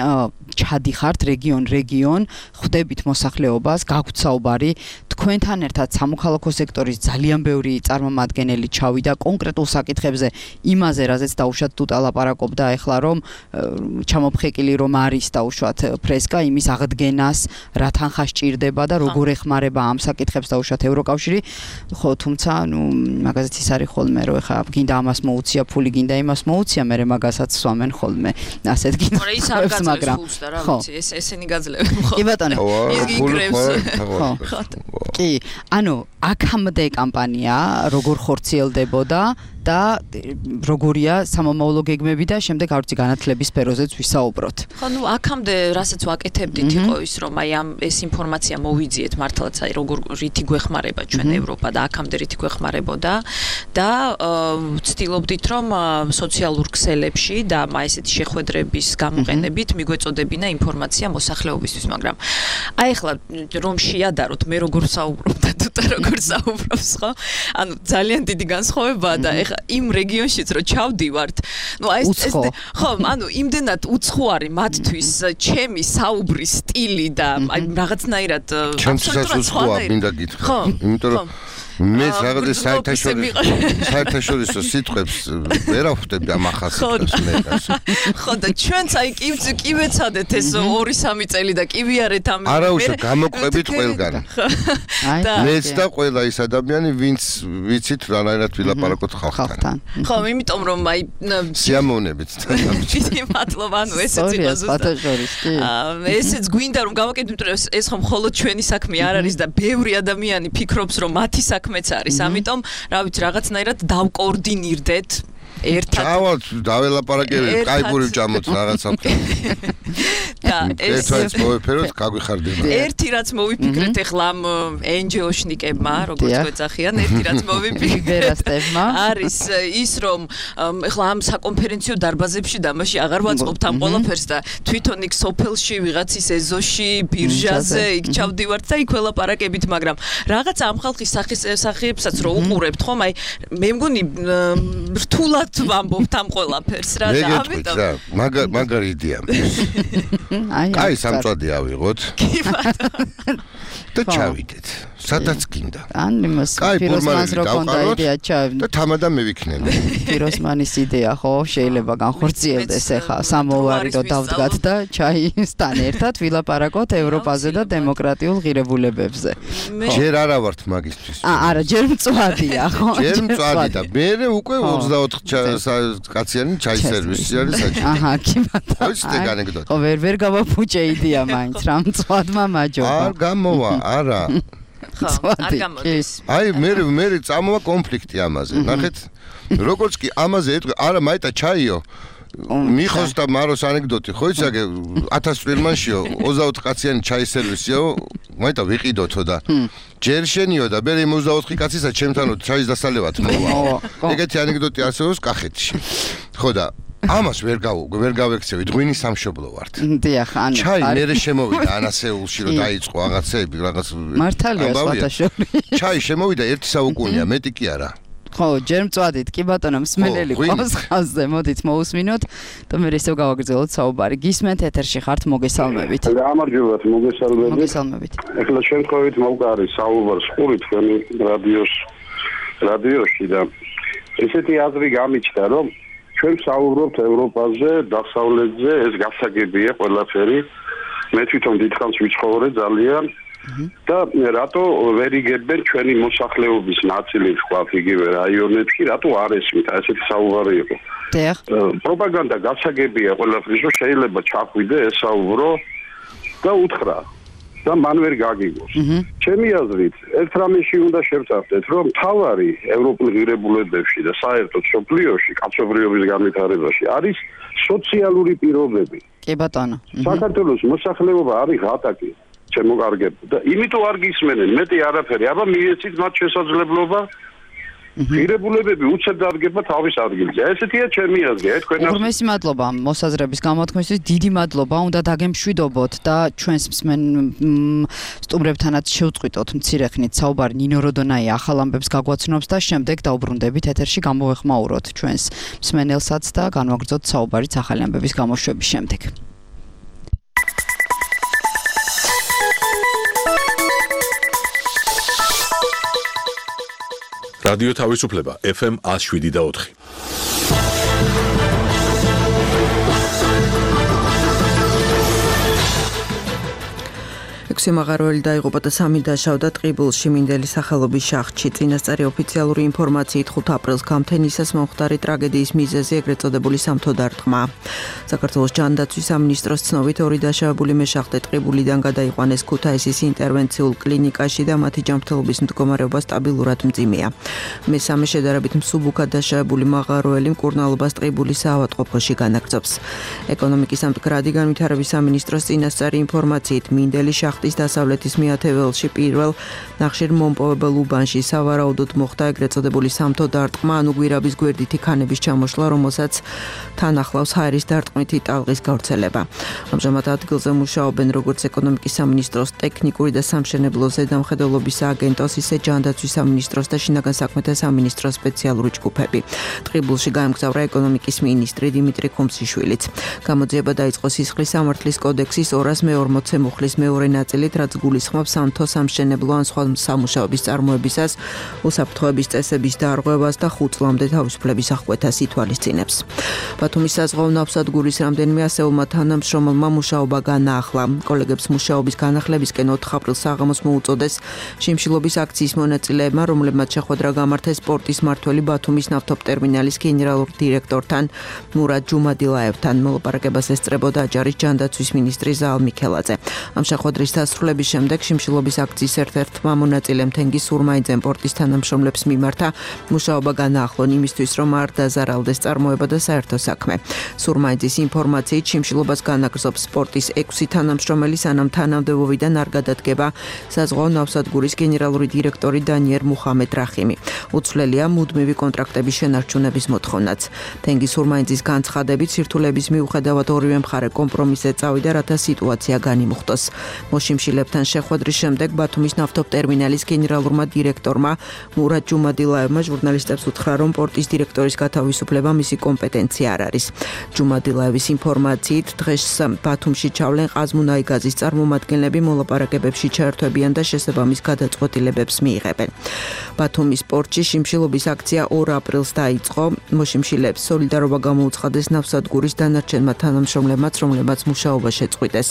ჩადიხართ რეგიონ, ხვდებით მოსახლეობას, გაგვთ საუბარი, თქვენთან ერთად სამოქალაქო სექტორის ძალიან ბევრი წარმომადგენელი ჩავიდა კონკრეტულ საკითხებზე, იმაზე, რაზეც დაუშვათ თუთა ლაპარაკობდა ახლა, რომ ჩამოფხეკილი რომ არის დაუშვათ ფრესკა, იმის აღდგენას, რა თანხა სჭირდება და როგორ ეხმარება ამ საკითხებს დაუშვათ ევროკავშირი, ხო, თუმცა, ნუ მაგაზეც ის არის ხოლმე, რომ ეხლა გინდა ამას მოუწია ფული, გინდა იმას მოუწია, მე მაგასაც სვამენ ხოლმე. ასეთ გინდა, მაგრამ რა ვიცი, ესენი გაძლევენ ხო? კი ბატონო. ის გიგრევს. ხო. კი, ანუ აქამდე კამპანია როგორ ხორციელდებოდა და როგორია სამომავლო გეგმები და შემდეგ არ ვიცი განათლების სფეროზეც ვისაუბროთ. ხო, ნუ აქამდე რასაც ვაკეთებდით იყო ის, რომ აი ეს ინფორმაცია მოვიძიეთ მართლაც აი როგორ რითი გვეხმარება ჩვენ ევროპა და აქამდე რითი გვეხმარებოდა და ვცდილობდით რომ სოციალურ ქსელებში და ესეთი შეხვედრების გამოყენებით მიგვეწოდებინა ინფორმაცია მოსახლეობისთვის, მაგრამ აი ახლა რომ შეადაროთ მე როგორ საუბრობ და თუ როგორ საუბრობს, ხო? ანუ ძალიან დიდი განსხვავებაა და ეხლა იმ რეგიონშიც რო ჩავდივართ, ნუ აი ეს ხო, ანუ იმდენად უცხოარი მათთვის ჩემი საუბრის სტილი და აი რაღაცნაირად აბსოლუტურად სხვა მინდა გითხრა, იმიტომ რომ მე რაღაც საერთაშორისო სიტყვებს ვერ ახვდები ამ ახასიათებს მე. ხო და ჩვენც აი კი ვეცადეთ ეს 2-3 წელი და კი ვიარეთ ამ არა უშო გამოყვებით ყველგან. მეც და ყველა ის ადამიანი ვინც ვიცით რანაირად ვილაპარაკოთ ხალხთან. ხო, იმიტომ რომ აი სიამოვნებით. დიდი მადლობა, ანუ ესეც იყო ზუსტად. ესეც გვინდა რომ გავაკეთოთ, ეს ხომ მხოლოდ ჩვენი საქმე არ არის და ბევრი ადამიანი ფიქრობს რომ მათი საქმეც არის. ამიტომ, რა ვიცი, რაღაცნაირად დავკოორდინირდეთ ერთად. ჩავალთ, დაველაპარაკებით, კაიბური ვჭამოთ რაღაცა. და ეს მოვიფეროთ, გაგვიხარდება. ერთი რაც მოვიფიქრეთ ახლა ამ NGO-შნიკებმა, როგორც გვეძახიან, ერთი რაც მოვიფიქრეთ არის ის, რომ ახლა ამ საკონფერენციო დარბაზებში და მასში აღარ ვაწყობთ ამ ყველაფერს და თვითონ იქ სოფელში, ვიღაცის ეზოში, ბირჟაზე იქ ჩავდივართ და იქ ველაპარაკებით, მაგრამ რაღაც ამ ხალხის სახეებსაც რო უყურებთ, ხომ, აი მე მგონი რთულად ვამბობთ ამ ყველაფერს რა და ამიტომ მაგარი იდეა. აი სამწვადი ავიღოთ. კი ბატონო. და ჩავიდეთ. სადაც გინდა. ან იმას პიროსმანს რო კონდა იდეა ჩავიდეთ. და თამადა მე ვიქნები. პიროსმანის იდეა ხო შეიძლება განხორციელდეს ახლა სამოვარი რო დავდგათ და ჩაისთან ერთად ვილაპარაკოთ ევროპაზე და დემოკრატიულ ღირებულებებზე. ჯერ არა ვართ მაგისტრის. არა, ჯერ მწვადია ხო? ჯერ მწვადი და მე უკვე 24 კაციანი ჩაის სერვისი არის საჭირო. აჰა, კი ბატონო. ვიცით ანეკდოტა. ხო, ვერ გავაფუჭე იდეა მაინც რა მწვადმა მაჯობა. არ გამოვა, არა. ხო, არ გამოდის. აი მე წამოვა კონფლიქტი ამაზე. ნახეთ, როგორც კი ამაზე ეტყვი, არა მაიტა ჩაიო. მიხოს და მაროს ანეკდოტი ხო იცი აგე 1000 წვირმანშიო 24 კაციანი ჩაის სერვისიო მაიტა ვიყიდოთო და ჯერ შენიო და მე 24 კაცისა ჩემთანო ჩაის დასალევად მოვა. ეგეთი ანეკდოტი არსებობს კახეთში. ხო და ამას ვერ გავექცევი, ღვინის სამშობლო ვართ. დიახ, ანუ ჩაი მერე შემოვიდა ანასეულში რომ დაიწყო რაღაცები, რაღაც მართალია სხვათაშორის. ჩაი შემოვიდა 1 საუკუნეა, მეტი კი არა. ხო, ჯერ მწვადით, კი ბატონო, მსმენელი ყავს ხაზზე, მოდით მოусმინოთ და მე ისევ გავაგრძელოთ საუბარი. გისმენთ ეთერში ხართ, მოგესალმებით. გამარჯობათ, მოგესალმებით. მოგესალმებით. ეხლა შემთხვევით მოვყარი საუბარს ხური თქვენი რადიოში და ესეთი აზრი გამიჩნდა, რომ ჩვენ საუბრობთ ევროპაზე, დასავლეთზე, ეს გასაგებია ყველაფერი. მე თვითონ დიდხანს ვიცხოვრე ძალიან და რატო ვერ იგებენ ჩვენი მოსახლეობის ნაწილი ვთქვათ იგივე რაიონებში, რატო არ ესმით, ესეთი საუბარი იყო. დიახ. პროპაგანდა გასაგებია ყველაფრის, რომ შეიძლება ჩახვიდე ესაუბრო და უთხრა. და მან ვერ გაგიგოს. ჩემი აზრით, ერთ რამეში უნდა შევწავდეთ, რომ თავარი ევროპულ ღირებულებებში და საერთოდ სოფლიოში, კაცობრიობის განვითარებაში არის სოციალური პირობები. კი ბატონო. საქართველოს მოსახლეობა არის ღატაკი, ჩემო კარგებო და იმიტომ არ გისმენენ მეტი არაფერი. აბა მიეცით მათ შესაძლებლობა ღირებულებები უცებ დადგება თავის ადგილზე. ესეთია ჩემი აზრი, თქვენ უღრმესი მადლობა მოსაზრების გამოთქმისთვის, დიდი მადლობა, უნდა დაგემშვიდობოთ და ჩვენს სტუმრებთანაც შევწყვიტოთ მცირე ხნით საუბარი. ნინო როდონაი ახალ ამბებს გაგვაცნობს და შემდეგ დაუბრუნდებით ეთერში, გამოვეხმაუროთ ჩვენს მსმენელსაც და განვაგრძოთ საუბარიც ახალი ამბების გამოშვების შემდეგ. რადიო თავისუფლება FM 107.4. მაღაროელი დაიღუპა და 3 დაშავდა ტყიბულში მინდელის სახელობის შახტში. წინასწარი ოფიციალური ინფორმაციით 5 აპრილს გამთენისას მომხდარი ტრაგედიის მიზეზი ეგრეთ წოდებული სამთო დარტყმა. საქართველოს ჯანდაცვის სამინისტროს ცნობით 2 დაშავებული მეშახტე ტყიბულიდან გადაიყვანეს ქუთაისის ინტერვენციულ კლინიკაში და მათი ჯანმრთელობის მდგომარეობა სტაბილურად მძიმეა. მესამე შედარებით მსუბუქად დაშავებული მაღაროელი მკურნალობას ტყიბულის საავადმყოფოში განაგრძობს. ეკონომიკის სამდგრადი განვითარების სამინისტროს წინასწარი ინფორმაციით მინდელის შახტის დასავლეთის მეათეველში პირველ ნახშირმომპოვებელ უბანში სავარაუდოდ მოხდა ეგრეთ წოდებული სამთო დარტყმა, ანუ გვირაბის გვერდითი ქანების ჩამოშლა, რომელსაც თან ახლავს ჰაერის დარტყმითი ტალღის გავრცელება. ამჟამად ადგილზე მუშაობენ როგორც ეკონომიკის სამინისტროს ტექნიკური და სამშენებლო ზედამხედველობის სააგენტოს, ისე ჯანდაცვის სამინისტროს და შინაგან საქმეთა სამინისტროს სპეციალური ჯგუფები. ტყიბულში გაემგზავრა ეკონომიკის მინისტრი დიმიტრი ხუმსიშვილიც. გამოძიება დაიწყო სისხლის სამართლის კოდექსის 240 მუხლის მეორე ნაწილით, რაც გულისხმობს სამთო სამშენებლო ან სხვა სამუშაოების წარმოებისას, უსაფრთხოების წესების დარღვევას და 5 წლამდე თავისუფლების აღკვეთას ითვალისწინებს. ბათუმის საზღვაო ნავსადგურის რამდენიმე ასეულმა თანამშრომელმა მუშაობა განაახლა. კოლეგებს მუშაობის განახლებისკენ 4 აპრილს საღამოს მოუწოდეს შიმშილობის აქციის მონაწილეებმა, რომლებმაც შეხვედრა გამართეს პორტის მმართველი ბათუმის ნავთობტერმინალის გენერალურ დირექტორთან მურად ჯუმადილაევთან. მოლაპარაკებას ესწრებოდა აჯარის ჯანდაცვის მინისტრი ზაალ მიქელაძე. ამ შეხვედრის დასრულების შემდეგ შიმშილობის აქციის ერთ-ერთმა მონაწილემ თენგიზ სურმაიძემ პორტის თანამშრომლებს მიმართა მუშაობა განაახლონ იმისთვის, რომ არ დაზარალდეს წარმოება და საერთო საქმე. სურმაიძის ინფორმაციით შიმშილობას განაგრძობს პორტის 6 თანამშრომელი, სანამ თანამდებობიდან არ გადადგება საზღვაო ნავსადგურის გენერალური დირექტორი დანიერ მუხამედ რახიმი. უცვლელია მუდმივი კონტრაქტების შენარჩუნების მოთხოვნაც. თენგიზ სურმაიძის განცხადებით სირთულეების მიუხედავად ორივე მხარე კომპრომისზე წავიდა, რათა სიტუაცია განიმუხტოს. მოშიმშილებთან შეხვედრის შემდეგ ბათუმის ნავთობტერმინალის გენერალურმა დირექტორმა მურად ჯუმადილაევმა ჟურნალისტებს უთხრა, რომ პორტის დირექტორის გათავისუფლება მისი კომპეტენცია არ არის. ჯუმადილაევის ინფორმაციით დღეს ბათუმში ჩავლენ ყაზმუნაიგაზის წარმომადგენლები, მოლაპარაკებებში ჩაერთვებიან და შესაბამის გადაწყვეტილებებს მიიღებენ. ბათუმის პორტში შიმშილობის აქცია 2 აპრილს დაიწყო. მოშიმშილებს სოლიდარობა გამოუცხადეს ნავსადგურის დანარჩენმა თანამშრომლებმაც, რომლებმაც მუშაობა შეწყვიტეს.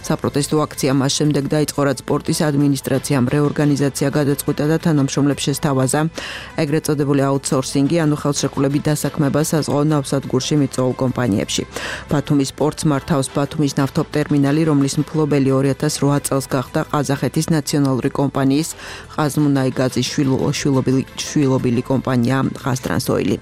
საპროტესტო აქცია მას შემდეგ დაიწყო, რაც პორტის ადმინისტრაციამ რეორგანიზაცია გადაწყვიტა და თანამშრომლებს შესთავაზა ეგრეთ წოდებული აუთსორსინგი, ანუ ხელშეკრულებით დასაქმება საზღვაო ნავსადგურში მიწვეულ კომპანიებში. ბათუმის პორტს მართავს ბათუმის ნავთობტერმინალი, რომლის მფლობელი 2008 წელს გახდა ყაზახეთის ნაციონალური კომპანიის ყაზმუნაიგაზის შვილობილი კომპანია ყაზტრანსოილი.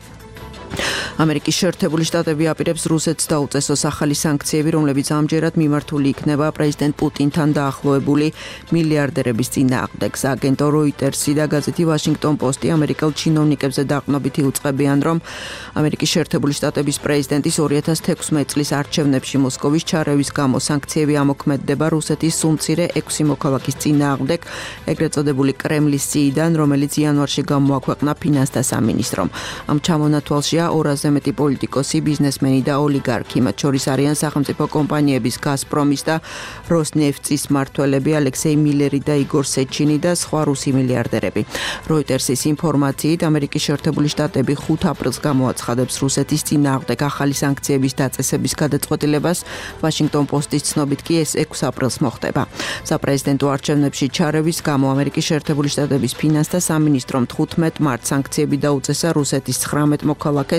ამერიკის შეერთებული შტატები აპირებს რუსეთს დაუწესოს ახალი სანქციები, რომლებიც ამჯერად მიმართული იქნება პრეზიდენტ პუტინთან დაახლოებული მილიარდერების წინააღმდეგ. აგენტო როიტერსი და გაზეთი ვაშინგტონ პოსტი ამერიკელ ჩინოვნიკებზე დაყრდნობით უწყებიან, რომ ამერიკის შეერთებული შტატების პრეზიდენტის 2016 წლის არჩევნებში მოსკოვის ჩარევის გამო სანქციები ამოქმედდება რუსეთის სულ-მცირე 6 მოქალაქის წინააღმდეგ, ეგრეთ წოდებული კრემლის სიიდან, რომელიც იანვარში გამოაქვეყნა ფინანსთა სამინისტრომ. ამ ჩამონათვალშია 200-ზე მეტი პოლიტიკოსი, ბიზნესმენი და ოლიგარქი, მათ შორის არიან სახელმწიფო კომპანიების გაზპრომის და როსნეფტის მმართველები ალექსეი მილერი და იგორ სეჩინი და სხვა რუსი მილიარდერები. როიტერსის ინფორმაციით, ამერიკის შეერთებული შტატები 5 აპრილს გამოაცხადებს რუსეთის წინააღმდეგ ახალი სანქციების დაწესების გადაწყვეტილებას, ვაშინგტონ პოსტის ცნობით კი ეს 6 აპრილს მოხდება. საპრეზიდენტო არჩევნებში ჩარევის გამო ამერიკის შეერთებული შტატების ფინანსთა სამინისტრომ 15 მარტს სანქციები დაუწესა რუსეთის 19 მოქალაქეს,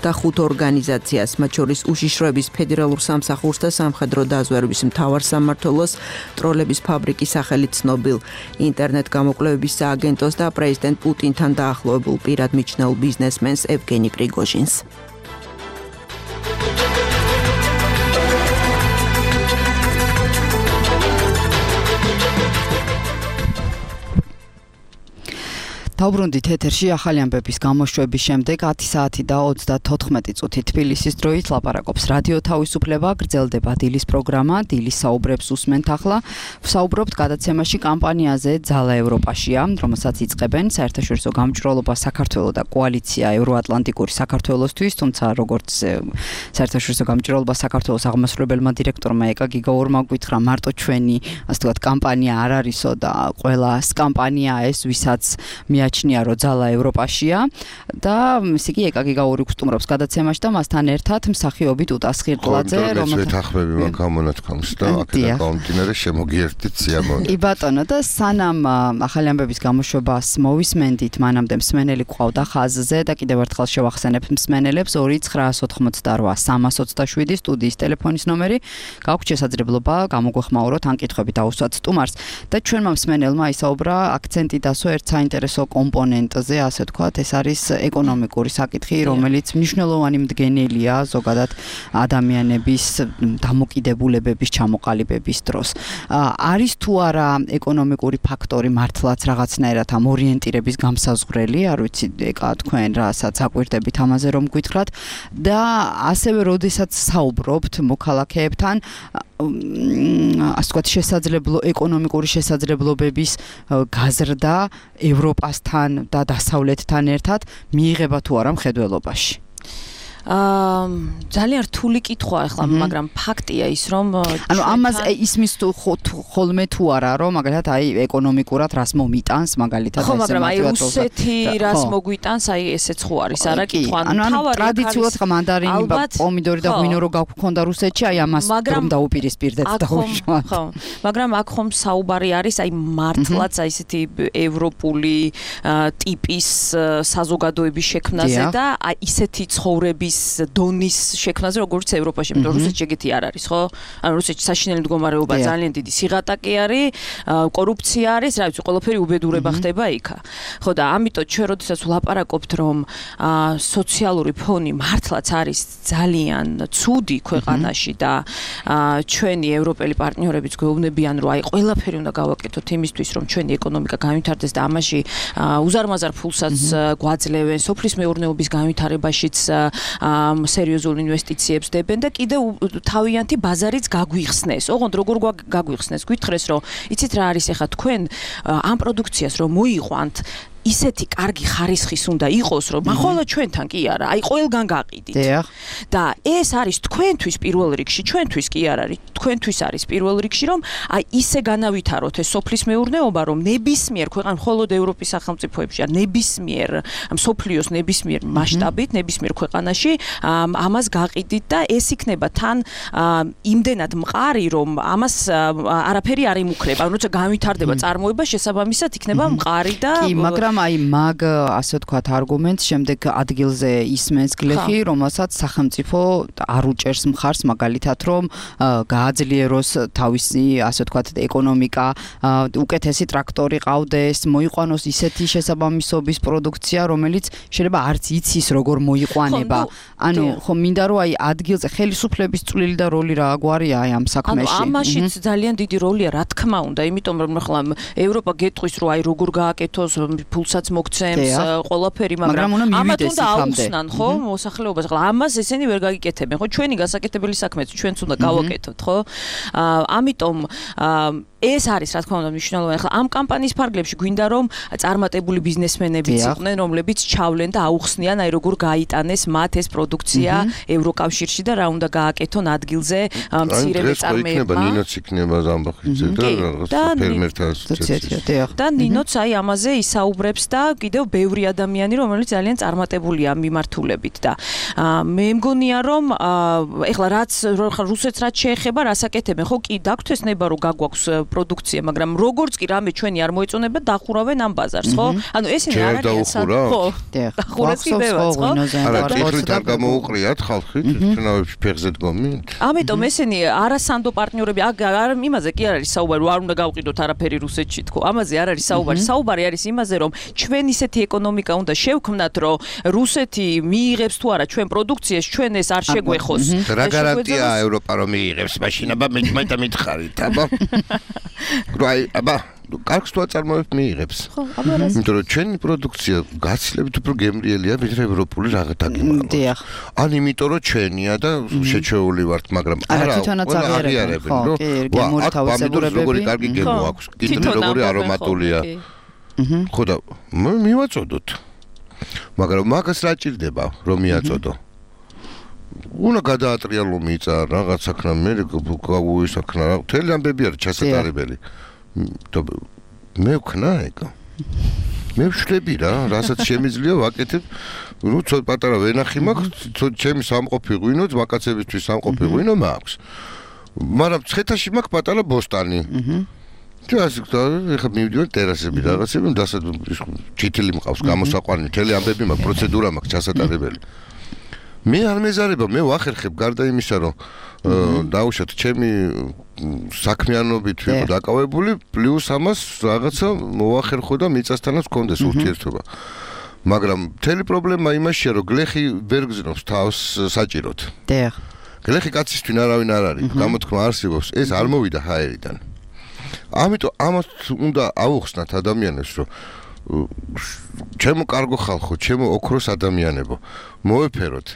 და 5 ორგანიზაციას, მათ შორის უშიშროების ფედერალურ სამსახურს და სამხედრო დაზვერვის მთავარ სამმართველოს, ტროლების ფაბრიკის სახელით ცნობილ ინტერნეტ გამოკვლევების სააგენტოს და პრეზიდენტ პუტინთან დაახლოებულ პირად მიჩნეულ ბიზნესმენს ევგენი პრიგოჟინს. დავბრუნდით ეთერში ახალი ამბების გამოშვების შემდეგ 10 საათი და 34 წუთი თბილისის დროით ლაპარაკობს რადიო თავისუფლება, გრძელდება დილის პროგრამა, დილის საუბრებს უსმენთ ახლა. ვსაუბრობთ გადაცემაში კამპანიაზე ძალა ევროპაშია, რომელსაც იწყებენ საერთაშორისო გამჭვირვალობა საქართველოს და კოალიცია ევროატლანტიკური საქართველოსთვის, თუმცა როგორც საერთაშორისო გამჭვირვალობა საქართველოს აღმასრულებელმა დირექტორმა ეკა გიგაურმა გითხრა, მარტო ჩვენი, ასე ვთქვათ, კამპანია არ არისო და ყველა კამპანია ეს, ვისაც მიაჩნია, რომ ძალა ევროპაშია და ისე კი ეკა გიგაური გსტუმრობს გადაცემაში და მასთან ერთად მსახიობი ტუტას ხირტლაძე, რომელსაც ვეთახმები მაგ გამონათქვამს და აქედან გამომდინარე შემოგიერთდით სიამოვნებით. კი ბატონო და სანამ ახალი ამბების გამოშვებას მოვისმენდით, მანამდე მსმენელი გვყავდა ხაზზე და კიდევ ერთხელ შევახსენებთ მსმენელებს 2988327 სტუდიის ტელეფონის ნომერი. გაქვთ შესაძლებლობა გამოგვეხმაუროთ ან კითხვები დაუსვათ სტუმარს და ჩვენმა მსმენელმა ისაუბრა აქცენტი დასვა ერთ საინტერესო კომპონენტზე, ასე ვთქვათ, ეს არის ეკონომიკური საკითხი, რომელიც მნიშვნელოვანი მდგენელია ზოგადად ადამიანების დამოკიდებულებების ჩამოყალიბების დროს. არის თუ არა ეკონომიკური ფაქტორი მართლაც რაღაცნაირად ამ ორიენტირების გამსაზღვრელი, არ ვიცი, ეკა თქვენ რასაც აკვირდებით ამაზე რომ გითხრათ და ასევე როდესაც საუბრობთ მოქალაქეებთან ასე ვთქვათ, ეკონომიკური შესაძლებლობების გაზრდა ევროპასთან და დასავლეთთან ერთად მიიღება თუ არა მხედველობაში. ძალიან რთული კითხვა ახლა, მაგრამ ფაქტია ის, რომ ანუ ამას ისმის ხოლმე თუ არა, რომ მაგალითად აი ეკონომიკურად რას მომიტანს, მაგალითად ხო, მაგრამ აი რუსეთი რას მოგვიტანს, აი ესეც ხო არის, არა კითხვა. ანუ ტრადიციულად ხა მანდარინი, პომიდორი და ღვინო რო გქონდა რუსეთში, აი ამას რომ დაუპირისპირდეთ დაუშვათ. ხო, მაგრამ აქ ხომ საუბარი არის აი მართლაც აი ესეთი ევროპული ტიპის საზოგადოების შექმნაზე და აი ისეთი ცხოვრების დონის შექმნაზე, როგორც ევროპაში, იმიტომ რომ რუსეთში ეგეთი არ არის, ხო? ანუ რუსეთში საშინელი მდგომარეობა ძალიან დიდი სიღატაკე არის, კორუფცია არის, რა ვიცი, ყველაფერი უბედურება ხდება იქა. ხო და ამიტომ ჩვენ როდესაც ვლაპარაკობთ, რომ სოციალური ფონი მართლაც არის ძალიან ცუდი ქვეყანაში და ჩვენი ევროპელი პარტნიორებიც გვეუბნებიან, რომ აი ყველაფერი უნდა გავაკეთოთ იმისთვის, რომ ჩვენი ეკონომიკა განვითარდეს და ამაში უზარმაზარ ფულსაც გვაძლევენ, სოფლის მეურნეობის განვითარებაშიც სერიოზულ ინვესტიციებს დებენ და კიდევ თავიანთი ბაზარიც გაგვიხსნეს. ოღონდ როგორ გაგვიხსნეს? გითხრეს, რომ იცით რა არის ახლა თქვენ ამ პროდუქციას რომ მოიყვანთ ისეთი კარგი ხარისხის უნდა იყოს, რომ ახლა ჩვენთან კი არა, აი ყველგან გაყიდით. და ეს არის თქვენთვის პირველ რიგში, ჩვენთვის კი არ არის, თქვენთვის არის პირველ რიგში, რომ აი ისე განავითაროთ ეს სოფლის მეურნეობა, რომ ნებისმიერ ქვეყანაში, მხოლოდ ევროპის სახელმწიფოებში, არ ნებისმიერ სოფლიოს ნებისმიერ მასშტაბით, ნებისმიერ ქვეყანაში ამას გაყიდით და ეს იქნება თან იმდენად მყარი, რომ ამას არაფერი არ იმუქრება. ანუ როცა განვითარდება წარმოება, შესაბამისად იქნება მყარი და კი, მაგრამ აი მაგ ასე ვთქვათ არგუმენტს შემდეგ ადგილზე ისმენს გლეხი, რომელსაც სახელმწიფო არ უჭერს მხარს, მაგალითად რომ გააძლიეროს თავისი ასე ვთქვათ ეკონომიკა, უკეთესი ტრაქტორი ყავდეს, მოიყვანოს ისეთი შესაბამისობის პროდუქცია, რომელიც შეიძლება არც იცის როგორ მოიყვანება. ანუ ხო მინდა რომ აი ადგილზე ხელისუფლების წვლილი და როლი რა გვარია აი ამ საქმეში. ანუ ამაშიც ძალიან დიდი როლია, რა თქმა უნდა, იმიტომ რომ ახლა ევროპა გეტყვის რომ აი როგორ გააკეთოს ფულსაც მოგცემს ყველაფერი, მაგრამ ამათ უნდა აუხსნან, ხო, მოსახლეობას. ახლა ამას ესენი ვერ გაგიკეთებენ, ხო, ჩვენი გასაკეთებელი საქმეც ჩვენც უნდა გავაკეთოთ, ხო? ამიტომ ეს არის რა თქმა უნდა მნიშვნელოვანი. ახლა ამ კამპანიის ფარგლებში გვინდა რომ წარმატებული ბიზნესმენებიც იყვნენ, რომლებიც ჩავლენ და აუხსნიან აი როგორ გაიტანეს მათ ეს პროდუქცია ევროკავშირში და რა უნდა გააკეთონ ადგილზე მცირე მეწარმეებმა. ნინოც იქნება ზამბახიძე და რაღაცა ფერმერთა ასოციაცია. და ნინოც აი ამაზე ისაუბრებს და კიდევ ბევრი ადამიანი, რომელიც ძალიან წარმატებულია ამ მიმართულებით და მე მგონია რომ ეხლა რაც რუსეთს რაც შეეხება, რას აკეთებენ, ხო კი დაგვთესნება რომ გაგვაქვს პროდუქცია, მაგრამ როგორც კი რამე ჩვენი არ მოეწონება, დახურავენ ამ ბაზარს, ხო? ანუ ესენი არ არის ხო? დახურეს კიდევაც, ხო? არა, ტიპით არ გამოუყრიათ ხალხი, ჩვენავებში ფეხზე დგომით. ამიტომ ესენი არასანდო პარტნიორები, არ იმაზე კი არ არის საუბარი, არ უნდა გავყიდოთ არაფერი რუსეთში, თქო. ამაზე არ არის საუბარი. საუბარი არის იმაზე, რომ ჩვენ ისეთი ეკონომიკა უნდა შევქმნათ, რომ რუსეთი მიიღებს თუ არა ჩვენ პროდუქციას, ჩვენ ეს არ შეგვეხოს. რა გარანტია ევროპა რომ მიიღებს მაშინ, აბა მე მითხარით, აბა. აბა კარგს თუ აწარმოებთ მიიღებს. იმიტომ რომ ჩვენი პროდუქცია გაცილებით უფრო გემრიელია ვიდრე ევროპული რაღაც დაგიმალოს. დიახ. ან იმიტომ რომ ჩვენია და შეჩეული ვართ, მაგრამ არა აღიარებენ, რომ გემური თავისებურებები. როგორი კარგი გემო აქვს, კიტრი როგორი არომატულია. ხო და მივაწოდოთ. მაგრამ მაგას რა ჭირდება რომ მიაწოდო? უნდა გადაატრიალო მიწა რაღაც საქმე მე გავუისახნა რა მთელი ამბები არის ჩასატარებელი მე ვქნა ეკა მე ვშლები რა რასაც შემიძლია ვაკეთებ ნუ ცოტა პატარა ვენახი მაქვს ჩემი სამყოფი ღვინო მაკაცებისთვის სამყოფი ღვინო მაქვს მაგრამ ცხეთაში მაქვს პატარა ბოსტანი ეხლა მივიდივარ ტერასები რაღაცები დასად ჩითილი მყავს გამოსაყვანი მთელი ამბები მაქვს პროცედურა მაქვს ჩასატარებელი მე არ მეზარება მე ვახერხებ გარდა იმისა რომ დაუშვათ ჩემი საქმიანობით ვიყო დაკავებული პლუს ამას რაღაცა მოვახერხო და მიწასთანაც გქონდეს ურთიერთობა მაგრამ მთელი პრობლემა იმაშია რომ გლეხი ვერ გზნობს თავს საჭიროდ დიახ გლეხი კაცისთვის არავინ არ არის გამოთქმა არსებობს ეს არ მოვიდა ჰაერიდან ამიტომ ამას უნდა აუხსნათ ადამიანებს რომ ჩემო კარგო ხალხო ჩემო ოქროს ადამიანებო მოეფეროთ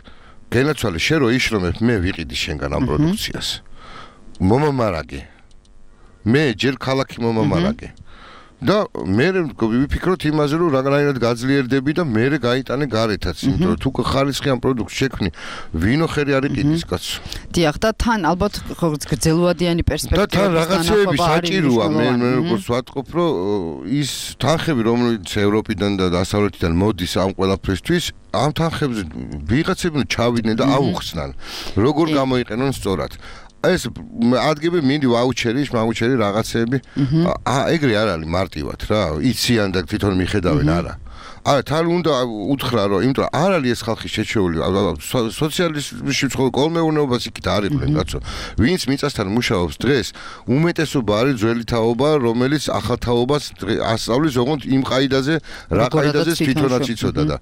გენაცვალე შენ რო იშრომებ მე ვიყიდი შენგან ამ პროდუქციას მომამარაგე მე ჯერ ქალაქი მომამარაგე და მე ვიფიქროთ იმაზე რომ რაღაცნაირად გაძლიერდები და მე გაიტანე გარეთაც იმიტომ რომ თუ ხარისხიან პროდუქტს შექმნი ვინო ხერი არ იყიდის კაცო დიახ და თან ალბათ გრძელვადიანი პერსპექტივა და თან რაღაცეები საჭიროა მე როგორც ვატყობ რომ ის თანხები რომელიც ევროპიდან და დასავლეთიდან მოდის ამ ყველაფრისთვის ამ თანხებზე ვიღაცები ჩავიდნენ და აუხსნან როგორ გამოიყენონ სწორად ეს ადგები მინდი ვაუჩერი რაღაცეები ეგრე არ არის მარტივად რა იციან და თვითონ მიხედავენ არა თან უნდა უთხრა რომ იმიტომ არ არის ეს ხალხი შეჩეული სოციალიზმში ცხოვრ კოლმეურნეობას იქით არ იყვნენ კაცო ვინც მიწასთან მუშაობს დღეს უმეტესობა არის ძველი თაობა რომელიც ახალ თაობას ასწავლის ოღონდ იმ ყაიდაზე რა ყაიდაზე თვითონაც იცოდა და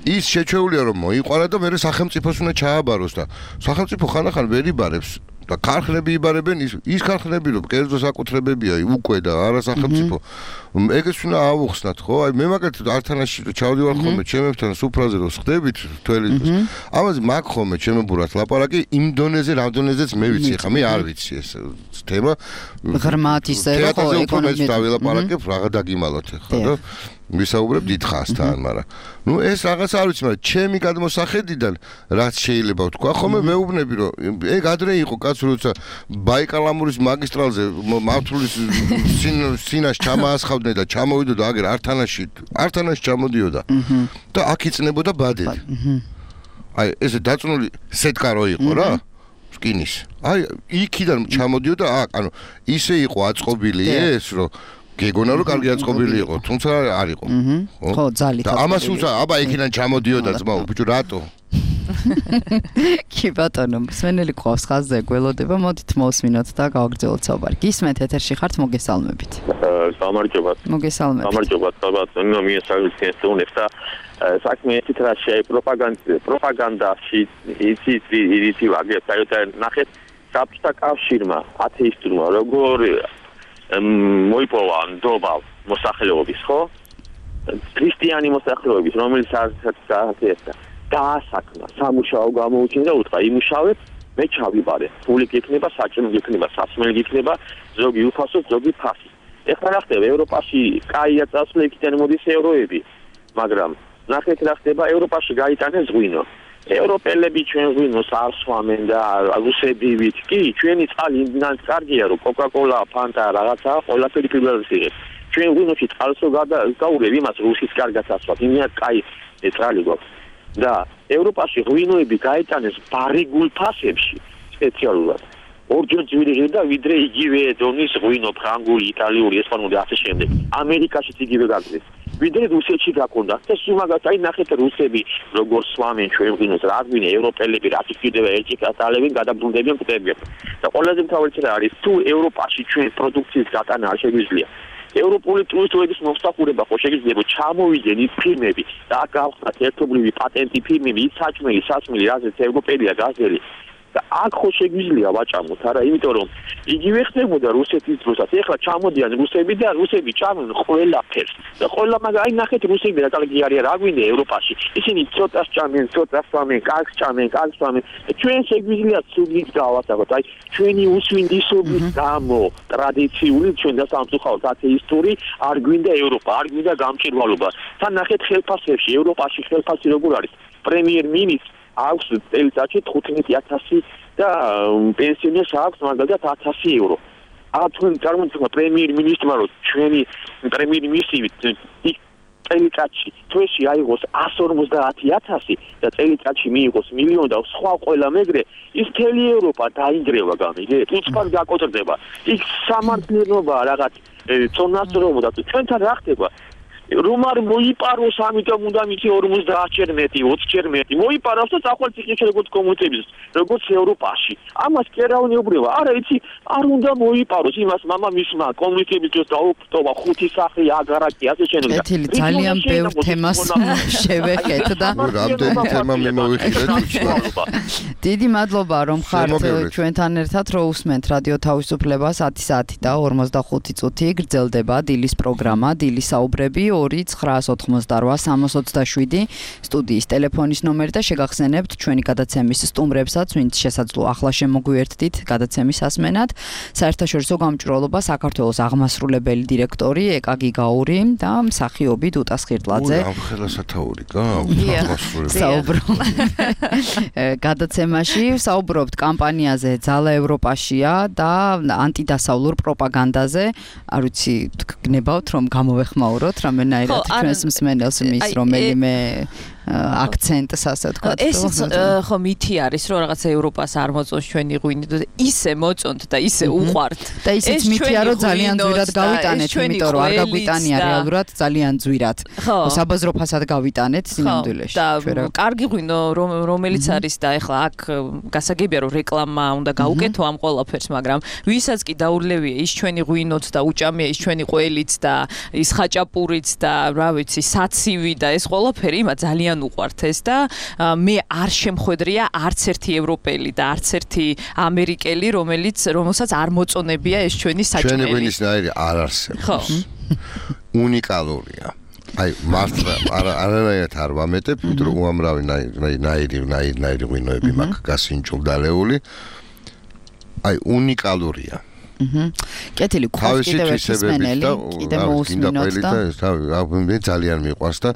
ის შეჩეულია რომ მოიყვარა და მე სახელმწიფოს უნდა ჩააბაროს და სახელმწიფო ხანახან ვერ იბარებს და ქარხნები იბარებენ ის ქარხნები რომ კერძო საკუთრებებია უკვე და არა სახელმწიფო ეგეც უნდა აუხსნათ ხო აი მე მაგათ ართანაში ჩავდივარ ხოლმე ჩემებთან სუფრაზე რომ ხდებით თველი ამაზე მაგ ხოლმე ჩემებურად ლაპარაკი იმ დონეზე რა დონეზეც მე ვიცი ხა მე არ ვიცი ეს თემა ღრმად ისე ხო ეკონომიკა დავილაპარაკებ რაღა დაგიმალოთ ხა და ვისაუბრებ დიდხანსთან, მაგრამ ნუ ეს რაღაც არ ვიცი, მაგრამ ჩემი გადმოსახედიდან რაც შეიძლება ვთქვა, ხოლმე მეუბნები რომ ეგ ადრე იყო კაც როცა ბაიკალამურის მაგისტრალზე მართulis სინას ჩამაასხავდნენ და ჩამოვიდოდა აგერ ართანაში ჩამოდიოდა და აქ იწნებოდა ბადები. აი ესე დაწნული სეტკარო იყო რა. სკინის. აი იქიდან ჩამოდიოდა აქ, ანუ ისე იყო აწყობილი ეს რომ გეგონა რომ კარგი აწყობილი იყო, თუმცა არ იყო. ხო, ძალით. და ამას უცა, აბა იქიდან ჩამოდიოდა ძმაო, ბიჭო, რატო? კი ბატონო, სვენელი ყავს ხაზზე გველოდება, მოდით მოვსმინოთ და გავაგრძელოთ საუბარი. გისმენთ ეთერში ხართ, მოგესალმებით. გამარჯობათ. მოგესალმებით. გამარჯობათ, ბატონო, მიესალმებით უნდა და საქმე ისეთ რა შეა პროპაგანდაში ისი ვაგებს, აი და ნახეთ საბჭოთა კავშირმა, ათეისტურმა როგორ მოიპოვა ნდობა მოსახლეობის, ხო? ქრისტიანი მოსახლეობის, რომელიც არც დაასაკმა, სამუშაო გამოუჩინა და უთხრა, იმუშავეთ, მე ჩავიბარე. ფული გექნება, საჭმელი გექნება, სასმელი გექნება, ზოგი უფასო, ზოგი ფასი. ეხლა რა ხდება ევროპაში, კაია წასვლა იქიდან მოდის ევროები, მაგრამ ნახეთ რა ხდება ევროპაში გაიტანეს ღვინო. ევროპელები ჩვენ ღვინოს არ სვამენ და რუსებივით კი ჩვენი წყალი იმდანაც კარგია რომ კოკა-კოლა, ფანტა რაღაცა ყველაფერი პირველად იღებს. ჩვენ ღვინოში წყალსო გაურევ იმას რუსის კარგად ასვათ. იმდანაც კაი წყალი გვაქვს. და ევროპაში ღვინოები გაიტანეს ბარიგულ ფასებში სპეციალურად. ორჯერ ძვირი და ვიდრე იგივე დონის ღვინო, ფრანგული, იტალიური, ესპანური ასე შემდეგ. ამერიკაშიც იგივე გაგზეს. ვიდრე რუსეთში გაკონდა და სულ მაგას ნახეთ რუსები როგორ სვამენ ჩვენ ღვინოს, რა გვინე ევროპელები რა თქმა ერთი კატალებენ, გადაბრუნდებიან კვდებიან. და ყველაზე მთავარი რა არის თუ ევროპაში ჩვენ პროდუქციის გატანა არ შეგვიძლია. ევროპული ტურისტების მომსახურება ხო შეიძლება ჩამოვიდნენ ის ფირმები და აქ გავხსნათ ერთობლივი პატენტი ფირმები, ის საჭმელი, სასმელი, რაზეც ევროპელია გაზელი. და აქ ხო შეგვიძლია ვაჭამოთ, არა, იმიტომ რომ იგივე ხდებოდა რუსეთის დროსაც. ეხლა ჩამოდიან რუსები და რუსები ჭამენ ყველაფერს. და ყველა აი ნახეთ რუსები რა კარგი არიან, რა გვინდა ევროპაში. ისინი ცოტას ჭამენ, ცოტას სვამენ, კარგს ჭამენ, კარგს სვამენ. ჩვენ შეგვიძლია ცუდით გავასაღოთ. აი ჩვენი უსვინდისობის გამო ტრადიციული ჩვენ და სამწუხაროდ ათეისტური არ გვინდა ევროპა, არ გვინდა გამჭირვალობა. თან ნახეთ ხელფასებში, ევროპაში ხელფასი როგორ არის? პრემიერ-მინისტრ აქვს წელიწადში 15000 და პენსიონერს აქვს მაგალითად 1000 euро. თქვენ წარმოიდგინეთ პრემიერ-მინისტრმა რომ ჩვენი პრემიერ-მინისტრი წელიწადში თვეში აიღოს 150000 და წელიწადში მიიღოს 1,000,000 და სხვა ყველა მეგრე ის მთელი ევროპა დაინგრევა გამიგე. თუცფარ გაკოტრდება. იქ სამართლიანობაა რაღაც წონასწორობა და ჩვენთან რა ხდება? რომ არ მოიპაროს ამიტომ უნდა მითი 50-ჯერ მეტი, 20-ჯერ მეტი. მოიპაროს და წახვალ ციხეში როგორც კომუნისტების, როგორც ევროპაში. ამას კერავნიობრება. არა, იცი, არ უნდა მოიპაროს იმას მამამისმა კომუნისტების დროს დაუფტოვა 5 სახლი, აგარაკი, ასე შემდეგ. ეთილი ძალიან ბევრ თემას შევეხეთ და რამდენი თემა მიმოვიხილეთ. დიდი მადლობა რომ ხართ ჩვენთან ერთად, რომ უსმენთ რადიო თავისუფლებას 10 საათი და 45 წუთი გრძელდება დილის პროგრამა, დილის საუბრები 2-988-327 სტუდიის ტელეფონის ნომერი და შეგახსენებთ ჩვენი გადაცემის სტუმრებსაც, ვინც შესაძლოა ახლა შემოგვიერთდით გადაცემის ასმენად. საერთაშორისო გამჭვირვალობა საქართველოს აღმასრულებელი დირექტორი ეკა გიგაური და მსახიობი დუტა სხირტლაძე. ამ ხელა სათაური აღმასრულებელი. გადაცემაში საუბრობთ კამპანიაზე "ძალა ევროპაშია" და ანტიდასავლურ პროპაგანდაზე. არ ვიცი, გნებავთ რომ გამოვეხმაუროთ რამე ნაირად ჩვენს მსმენელს მის რომელიმე აქცენტს ასე თქვა. ეს ხო მითი არის რომ რაღაც ევროპას არ მოწონს ჩვენი ღვინი და ისე მოწონთ და ისე უყვართ. და ისიც მითია რომ ძალიან ძვირად გავიტანეთ, იმიტომ რომ არ გაგვიტანია რეალურად ძალიან ძვირად. საბაზრო ფასად გავიტანეთ სინამდვილეში. და კარგი ღვინო რომელიც არის და ეხლა აქ გასაგებია რომ რეკლამა უნდა გაუკეთო ამ ყველაფერს, მაგრამ ვისაც კი დაურლევია ის ჩვენი ღვინოც და უჭამია ის ჩვენი ყველიც და ის ხაჭაპურიც და რა ვიცი საცივი და ეს ყველაფერი ima ძალიან უყვართ ეს და მე არ შემხვედრია არც ერთი ევროპელი და არც ერთი ამერიკელი რომელსაც არ მოწონებია ეს ჩვენი საჭმელი. ჩვენი ღვინისნაირი არ არსებობს. უნიკალურია. აი მართლა არანაირად არ ვამეტებ, იმიტომ რომ უამრავი ნაირი ღვინოები მაქვს გასინჭულდალეული. აი უნიკალურია. კეთილი გვყავს კიდევ ერთი სმენელი, კიდევ მოусმინოთ და მე ძალიან მიყვარს და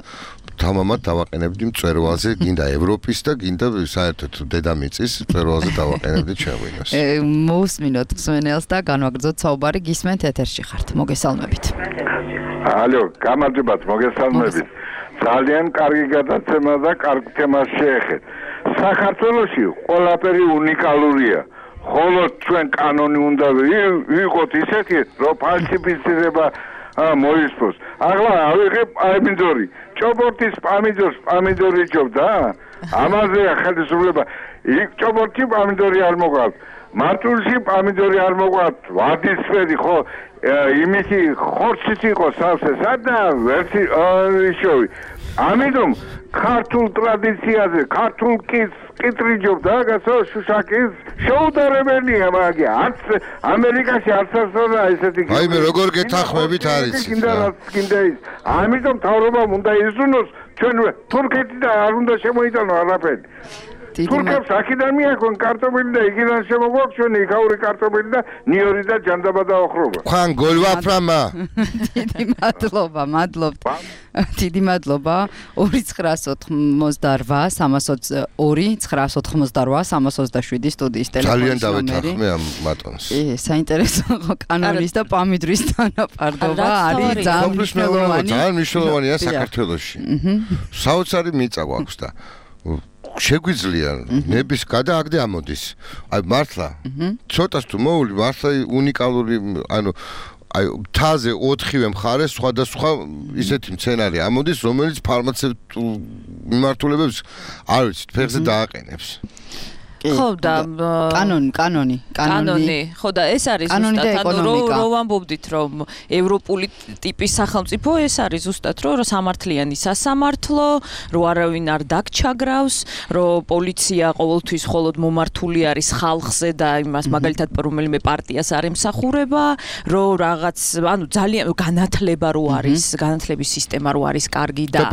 თამამად დავაყენებდი მწვერვალზე, გინდა ევროპის და გინდა საერთოდ დედამიწის მწვერვალზე დავაყენებდი ჩემს. მოусმინოთ სმენელს და განვაგრძოთ საუბარი, გისმენთ ეთერში ხართ. მოგესალმებით. ალო, გამარჯობათ, მოგესალმებით. ძალიან კარგი გადაცემა და კარგ თემას შეეხეთ. საქართველოში ყველაფერი უნიკალურია. ხოლო ჩვენ კანონი უნდა ვიყოთ ისეთი, რომ ფალსიფიცირება მოისწოს. ახლა ავიღებ პამიდორი. ჭობორტის პამიდორი ჭობდა? ამაზეა ხელისუფლება. იქ ჭობორტი პამიდორი არ მოყავთ. მარტულში პამიდორი არ მოყავთ. ვარდისფერი ხო იმისი ხორციც იყო სავსე, სადა ვერცი შოვი. ამიტომ ქართულ ტრადიციაზე, ქართულ კიტრიჯობდა გასო შუშაკის შეუდარებელია მაგე. არც ამერიკაში არც ასონა ესეთი. აი მე როგორ გეთანხმებით არის. კიდე ის. ამიტომ თავრობამ უნდა იზრუნოს ჩვენ თურქეთი და არ უნდა შემოიტანო არაფერი. თურქებს აქედან მიაქვენ კარტოფილი და იქიდან შემოგვაქვს ჩვენი იქაური კარტოფილი და ნიორი და ჯანდაბა და ოხრობა. ხან გოლვაფრამა. დიდი მადლობა, მადლობთ. დიდი მადლობა. 2-988-328-327 სტუდიის ტელეფონის ნომერი. ძალიან დავეთანხმე ამ მატონს. საინტერესო კანონის და პამიდრის თანაფარდობა არის ძალიან მნიშვნელოვანი. ძალიან მნიშვნელოვანია საქართველოში. საოცარი მიწა გვაქვს და შეგვიძლია ნების გადააგდე ამოდის. აი მართლა. ცოტას თუ მოული მართლა უნიკალური ანუ აი თაზე 4-ვე მხარე სხვადასხვა ისეთი მცენარე ამოდის, რომელიც ფარმაცევტულ მიმართულებებს არ ვიცით, ფეხზე დააყენებს. ხო და კანონი ხო და ეს არის ზუსტად ანუ რო ვამბობდით რომ ევროპული ტიპის სახელმწიფო ეს არის ზუსტად რომ სამართლიანი სასამართლო რო არავინ არ დაგჩაგრავს რომ პოლიცია ყოველთვის მხოლოდ მომართული არის ხალხზე და იმას მაგალითად რომელიმე პარტიას არ ემსახურება რომ რაღაც ანუ ძალიან განათლება რო არის განათლების სისტემა რო არის კარგი და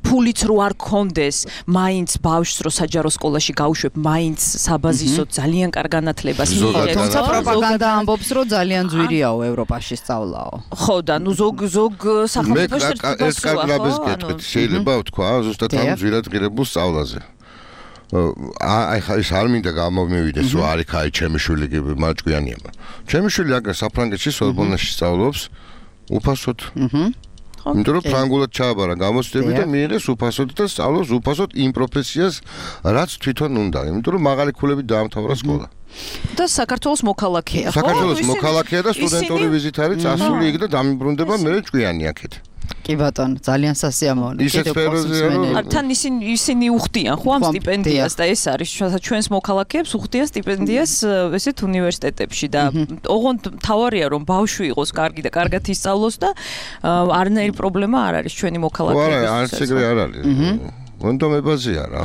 ფულიც რო არ კონდეს მაინც ბავშვს რო საჯარო სკოლაში გავუშვებ მაინც საბაზისოდ ძალიან კარგ განათლებას მიიღებს. თუმცა პროპაგანდა ამბობს, რომ ძალიან ძვირიაო ევროპაში სწავლაო. ხო და ნუ ზოგ სახელმწიფოში ეს კარგლაბეს გეტყვით, შეიძლება ვთქვა, ზუსტად ამ ძვირად ღირებულ სწავლაზე. აი ხა ის არ მინდა გამომივიდეს, რომ არის აი ჩემი შვილი მაჭკვიანია. ჩემი შვილი აქ საფრანგეთში სორბონაში სწავლობს უფასოდ. იმიტომ რომ ფრანგულად ჩააბარა გამოცდები და მიიღეს უფასოდ და სწავლობს უფასოდ იმ პროფესიას, რაც თვითონ უნდა. იმიტომ რომ მაღალი ქულებით დაამთავრა სკოლა. და საქართველოს მოქალაქეა, ხო? საქართველოს მოქალაქეა და სტუდენტური ვიზით არის წასული იქ და დამიბრუნდება მე ჭკვიანი აქეთ. კი ბატონო, ძალიან სასიამოვნო. ისეთ სფეროზე თან ისინი უხდიან ხო ამ სტიპენდიას და ეს არის ჩვენს მოქალაქეებს უხდიან სტიპენდიას ესეთ უნივერსიტეტებში და ოღონდ თავარია რომ ბავშვი იყოს კარგი და კარგად ისწავლოს და არანაირი პრობლემა არ არის ჩვენი მოქალაქეების. არა, არც ეგრე არ არის. მონდომებაზია რა.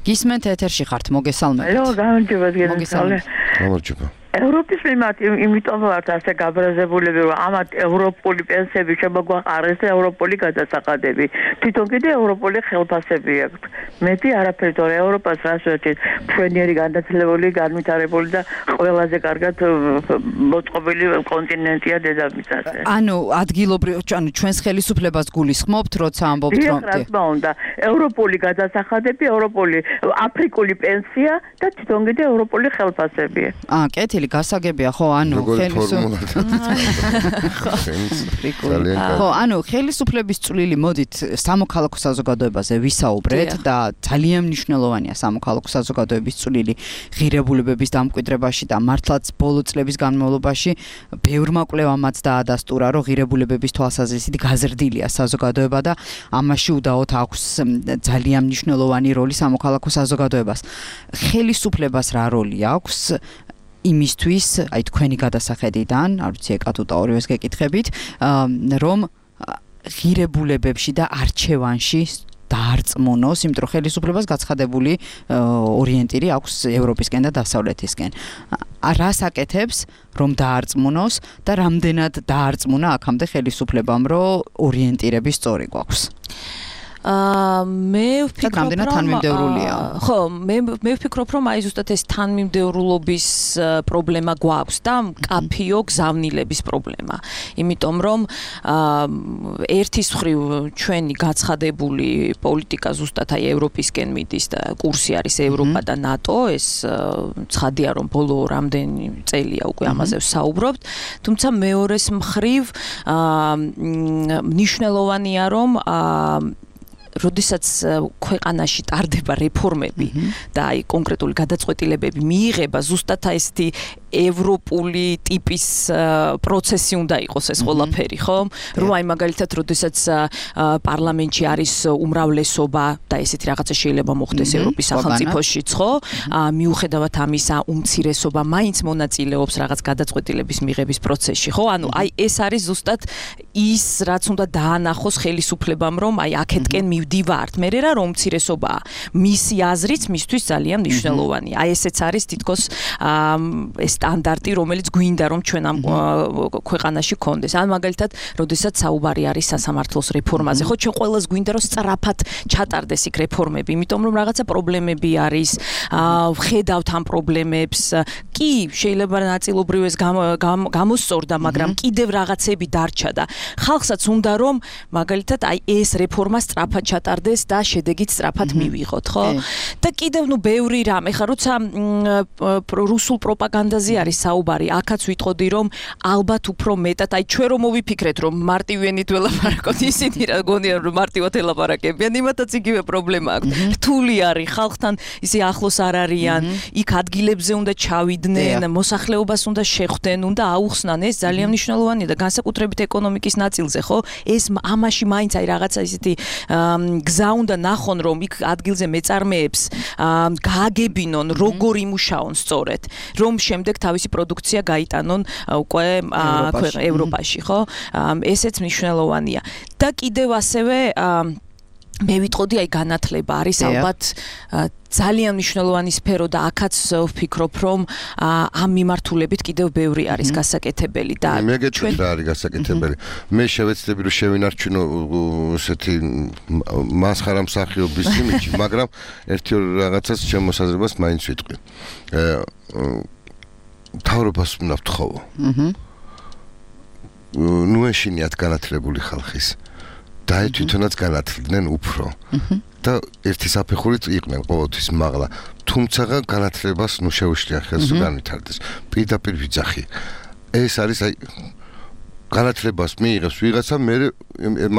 გისმენთ ეთერში ხართ, მოგესალმებით. ალო, გამარჯობათ გენაცვალე. გამარჯობა. ევროპის მიმართ იმიტომ ვართ ასე გაბრაზებულები, რომ ამათ ევროპული პენსიები შემოგვაყარეს და ევროპული გადასახადები. თვითონ კიდე ევროპული ხელფასები აქვს. მეტი არაფერი, თორე ევროპას რას ვეჭით, მშვენიერი განათლებული, განვითარებული და ყველაზე კარგად მოწყობილი კონტინენტია დედამიწაზე. ანუ ადგილობრივ, ანუ ჩვენს ხელისუფლებას გულისხმობთ, როცა ამბობთ რომ რა თქმა უნდა, ევროპული გადასახადები, ევროპული აფრიკული პენსია და თვითონ კიდე ევროპული ხელფასები. კეთილი გასაგებია ხო ანუ ხელისუფლების წვლილი მოდით სამოქალაქო საზოგადოებაზე ვისაუბრეთ და ძალიან მნიშვნელოვანია სამოქალაქო საზოგადოების წვლილი ღირებულებების დამკვიდრებაში და მართლაც ბოლო წლების განმავლობაში ბევრმა კვლევამაც დაადასტურა რომ ღირებულებების თვალსაზრისით გაზრდილია საზოგადოება და ამაში უდაოდ აქვს ძალიან მნიშვნელოვანი როლი სამოქალაქო საზოგადოებას. ხელისუფლებას რა როლი აქვს იმისთვის, აი თქვენი გადასახედიდან, არ ვიცი ეკატუტა ორივეს გეკითხებით, რომ ღირებულებებში და არჩევანში დაარწმუნოს, იმიტომ რომ ხელისუფლებას გაცხადებული ორიენტირი აქვს ევროპისკენ და დასავლეთისკენ. რას აკეთებს, რომ დაარწმუნოს და რამდენად დაარწმუნა აქამდე ხელისუფლებამ, რომ ორიენტირები სწორი გვაქვს? მე ვფიქრობ რომ თანმიმდევრულია. ხო, მე ვფიქრობ რომ აი ზუსტად ეს თანმიმდევრულობის პრობლემა გვაქვს და კაფიო გზავნილების პრობლემა. იმიტომ რომ ერთის მხრივ ჩვენი გაცხადებული პოლიტიკა ზუსტად აი ევროპისკენ მიდის და კურსი არის ევროპა და ნატო, ეს ცხადია რომ ბოლო რამდენი წელია უკვე ამაზე ვსაუბრობთ, თუმცა მეორეს მხრივ მნიშვნელოვანია რომ როდესაც ქვეყანაში ტარდება რეფორმები და აი კონკრეტული გადაწყვეტილებები მიიღება ზუსტად ესეთი ევროპული ტიპის პროცესი უნდა იყოს ეს ყველაფერი, ხო? რომ აი მაგალითად როდესაც პარლამენტში არის უმრავლესობა და ესეთი რაღაცა შეიძლება მოხდეს ევროპის სახელმწიფოშიც, ხო? მიუხედავად ამისა უმცირესობა მაინც მონაწილეობს რაღაც გადაწყვეტილების მიღების პროცესში, ხო? ანუ აი ეს არის ზუსტად ის რაც უნდა დაანახოს ხელისუფლებამ რომ აი აქეთკენ მივდივართ. მე რა რომ უმცირესობაა მისი აზრიც მისთვის ძალიან მნიშვნელოვანია. აი ესეც არის თითქოს ეს სტანდარტი, რომელიც გვინდა რომ ჩვენ ამ ქვეყანაში კონდეს. ან მაგალითად, როდესაც საუბარი არის სასამართლოს რეფორმაზე, ხო, ჩვენ ყველას გვინდა რომ სწრაფად ჩატარდეს იქ რეფორმები, იმიტომ რომ რაღაცა პრობლემები არის, ვხედავთ ამ პრობლემებს. კი, შეიძლება ნაწილობრივ ეს გამოსწორდა, მაგრამ კიდევ რაღაცები დარჩა და ხალხსაც უნდა რომ მაგალითად აი ეს რეფორმა სწრაფად ჩატარდეს და შედეგით სწრაფად მივიღოთ, ხო? და კიდევ ბევრი რამ, ეხლა როცა რუსულ პროპაგანდაზე არის საუბარი, აქაც ვიტყოდი რომ ალბათ უფრო მეტად, აი ჩვენ რომ მოვიფიქრეთ რომ მარტივენით ველაპარაკოთ, ისინი რა გონია რომ მარტივად ელაპარაკებიან, იმათაც იგივე პრობლემა აქვს. რთული არის, ხალხთან ისე ახლოს არ არიან, იქ ადგილებზე უნდა ჩავიდნენ, მოსახლეობას უნდა შეხვდნენ, უნდა აუხსნან, ეს ძალიან მნიშვნელოვანია და განსაკუთრებით ეკონომიკის ნაწილზე, ხო? ეს ამაში მაინც აი რაღაცა ისეთი გზა უნდა ნახონ, რომ იქ ადგილზე მეწარმეებს გააგებინონ, როგორ იმუშაონ სწორედ, რომ შემდეგ თავისი პროდუქცია გაიტანონ უკვე ევროპაში, ხო? ესეც მნიშვნელოვანია. და კიდევ ასევე მე ვიტყოდი აი განათლება არის ალბათ ძალიან მნიშვნელოვანი სფერო და აქაც ვფიქრობ რომ ამ მიმართულებით კიდევ ბევრი არის გასაკეთებელი და მე გეტყვით რა არის გასაკეთებელი მე შევეცდები რომ შევინარჩუნო ესეთი მასხარა მსახიობის იმიჯი მაგრამ ერთი რაღაცას ჩემ მოსაზრებას მაინც ვიტყვი თავრობას უნდა ვთხოვო ნუ ეშინიათ განათლებული ხალხის და თვითონაც განათლდნენ უფრო და ერთი საფეხურით იყვნენ ყოველთვის მაღლა თუმცა განათლებას ნუ შეუშლია ხელს განვითარდეს პირდაპირ ვიძახი ეს არის აი განათლებას მიიღებს ვიღაცა მე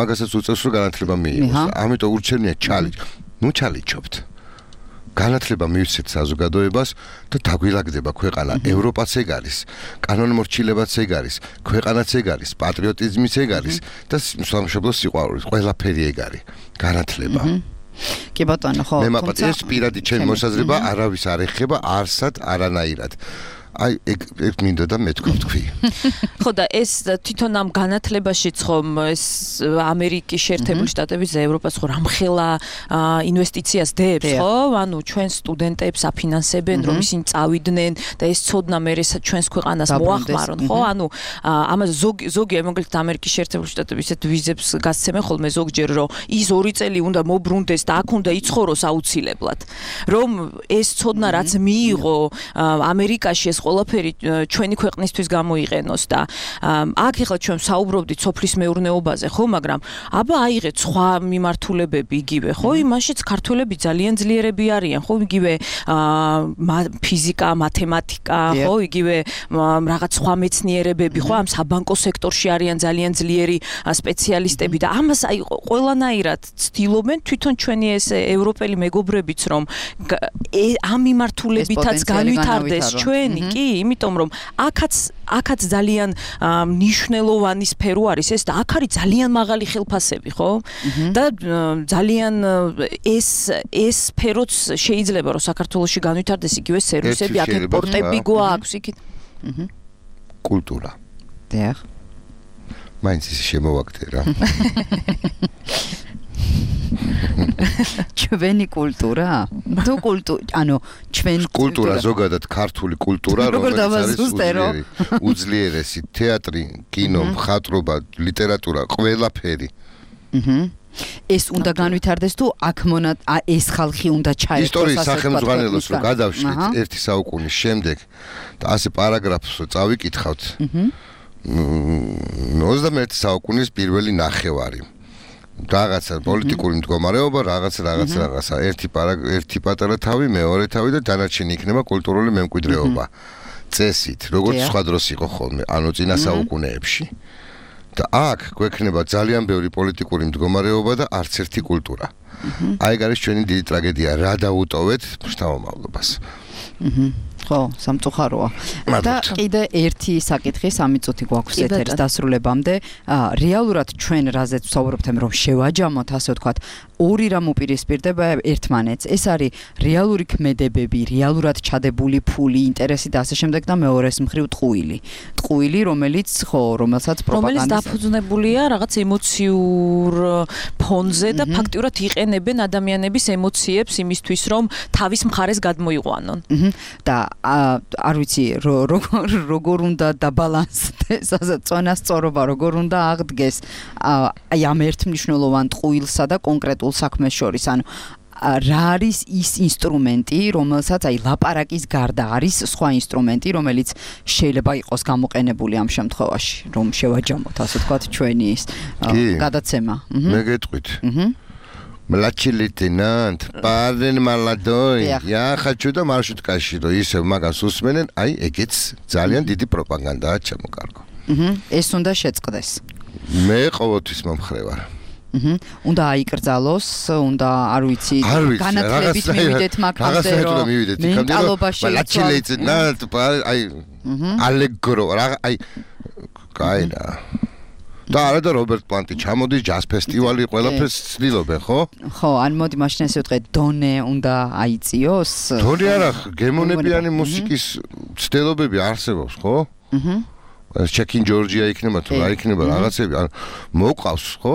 მაგასაც უწევს რომ განათლება მიიღოს ამიტომ ურჩევნია ჩალი ნუ ჩალიჩობთ განათლება მივცეთ საზოგადოებას და დაგვილაგდება ქვეყანა ევროპაც ეგ არის კანონმორჩილებაც ეგ არის ქვეყანაც ეგ არის პატრიოტიზმიც ეგ არის და სამშობლო სიყვარული ყველაფერი ეგ არის განათლება კი ბატონო ხო მე მაგათ ეს პირადი ჩემი მოსაზრება არავის არ ეხება არსად არანაირად აი ეგ მინდა და მე თქვი ხო და ეს თვითონ ამ განათლებაშიც ხომ ეს ამერიკის შეერთებული შტატების და ევროპას ხო რამხელა ინვესტიციას დებს ხო ანუ ჩვენ სტუდენტებს აფინანსებენ რომ ისინი წავიდნენ და ეს ცოდნა მე ჩვენს ქვეყანას მოახმარონ ხო ანუ ამას ზოგი მოკლედ ამერიკის შეერთებული შტატების ესეთ ვიზებს გასცემენ ხოლმე ზოგჯერ რომ ის 2 წელი უნდა მობრუნდეს და აქ უნდა იცხოვროს აუცილებლად რომ ეს ცოდნა რაც მიიღო ამერიკაში ეს ყველაფერი ჩვენი ქვეყნისთვის გამოიყენოს და აქ ახლა ჩვენ საუბრობდით სოფლის მეურნეობაზე ხო მაგრამ აბა აიღეთ სხვა მიმართულებები იგივე ხო იმაშიც ქართველები ძალიან ძლიერები არიან ხო იგივე ფიზიკა მათემატიკა ხო იგივე რაღაც სხვა მეცნიერებები ხო ამ საბანკო სექტორში არიან ძალიან ძლიერი სპეციალისტები და ამას აი ყველანაირად ცდილობენ თვითონ ჩვენი ეს ევროპელი მეგობრებიც რომ ამ მიმართულებითაც განვითარდეს ჩვენი კი იმიტომ რომ აქაც ძალიან მნიშვნელოვანი სფერო არის ეს და აქ არის ძალიან მაღალი ხელფასები ხო და ძალიან ეს სფეროც შეიძლება რომ საქართველოში განვითარდეს იგივე სერვისები აქ პორტები გვაქვს იქით კულტურა დიახ მაინც ის შემოვაგდე რა ჩვენი კულტურა თუ ანუ ჩვენ კულტურა ზოგადად ქართული კულტურა რომელიც არის უძლიერესი თეატრი კინო მხატვრობა ლიტერატურა ყველაფერი ეს უნდა განვითარდეს თუ აქ ეს ხალხი უნდა ჩაერთოს ისტორიის სახელმძღვანელოს რომ გადავშლით ერთი საუკუნის შემდეგ და ასე პარაგრაფს წავიკითხავთ 21 საუკუნის პირველი ნახევარი რაღაცა პოლიტიკური მდგომარეობა რაღაცა ერთი პატარა თავი მეორე თავი და დანარჩენი იქნება კულტურული მემკვიდრეობა წესით როგორც სხვა დროს იყო ხოლმე ანუ წინა საუკუნეებში და აქ გვექნება ძალიან ბევრი პოლიტიკური მდგომარეობა და არც ერთი კულტურა აი ეგ არის ჩვენი დიდი ტრაგედია რა დაუტოვეთ შთამომავლობას ხო, სამწუხაროა. და კიდე ერთი საკითხი 3 წუთი გვაქვს ეთერის დასრულებამდე. რეალურად ჩვენ რაზეც ვსაუბრობთ, რომ შევაჯამოთ, ასე ვთქვათ, ორი რამ უპირისპირდება ერთმანეთს. ეს არის რეალური ქმედებები, რეალურად ჩადებული ფული, ინტერესი და ასე შემდეგ და მეორეს მხრივ ტყუილი. ტყუილი, რომელსაც პროპაგანდა რომელიც დაფუძნებულია რაღაც ემოციურ ფონზე და ფაქტიურად იყენებენ ადამიანების ემოციებს იმისთვის, რომ თავის მხარეს გადმოიყვანონ. და არ ვიცი როგორ უნდა დაბალანსდეს ასე წონასწორობა როგორ უნდა აღდგეს აი ამ ერთმნიშვნელოვან ტყუილსა და კონკრეტულ საქმეს შორის ანუ რა არის ის ინსტრუმენტი რომელსაც აი ლაპარაკის გარდა არის სხვა ინსტრუმენტი რომელიც შეიძლება იყოს გამოყენებული ამ შემთხვევაში რომ შევაჯამოთ ასე ვთქვათ ჩვენი ის გადაცემა მე გეტყვით Младший лейтенант, парень молодой. Я хочу до маршруткაში, რომ ისევ მაგას უსმენენ, აი ეგეც ძალიან დიდი პროპაგანდაა ჩამოკარგო. ეს უნდა შეწყდეს. მე ყოველთვის მომხრე ვარ. უნდა აიკრძალოს, უნდა არ ვიცი, განათლებით მივიდეთ მაგაზე რომ მენტალობაში მладший лейтенант, აი ალეგრო, აი კაინა. და არა და რობერტ პლანტი ჩამოდის ჯაზ ფესტივალი ყველაფერს ცდილობენ ხო? ხო, ან მოდი მაშინ ესე ვთქვი, დონე უნდა აიწიოს. დონე არა, გემონებიანი მუსიკის ცდილობები არსებობს, ხო? ჩეკინ ჯორჯია იქნება თუ რა იქნება რაღაცები, ან მოყავს, ხო?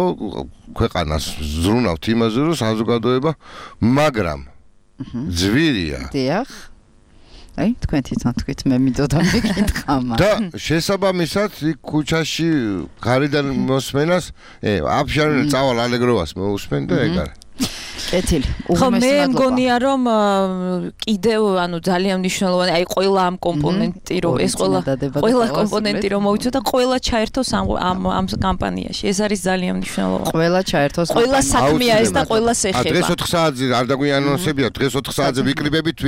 ქვეყანას ზრუნავთ იმაზე, რომ საზოგადოება, მაგრამ ძვირია. დიახ. აი, თქვენ თვითონ თქვით, მე მინდოდა მეკითხა მაგრამ. და შესაბამისად, იქ ქუჩაში გარედან მოსმენას, აფშარენ წავალ ალეგროვას მოусმენ და ეგ არის. კეთილი. ხო, მე მგონია რომ კიდევ ანუ ძალიან მნიშვნელოვანი, აი ყველა ამ კომპონენტი რომ ეს ყველა კომპონენტი რომ მოვიცოთ და ყველა ჩაერთოს ამ კამპანიაში. ეს არის ძალიან მნიშვნელოვანი. ყველა ჩაერთოს. ყველა საქმეა ეს და ყველა ეხება. დღეს 4 საათზე არ დაგვიანონსებია, დღეს 4 საათზე ვიკრიბებით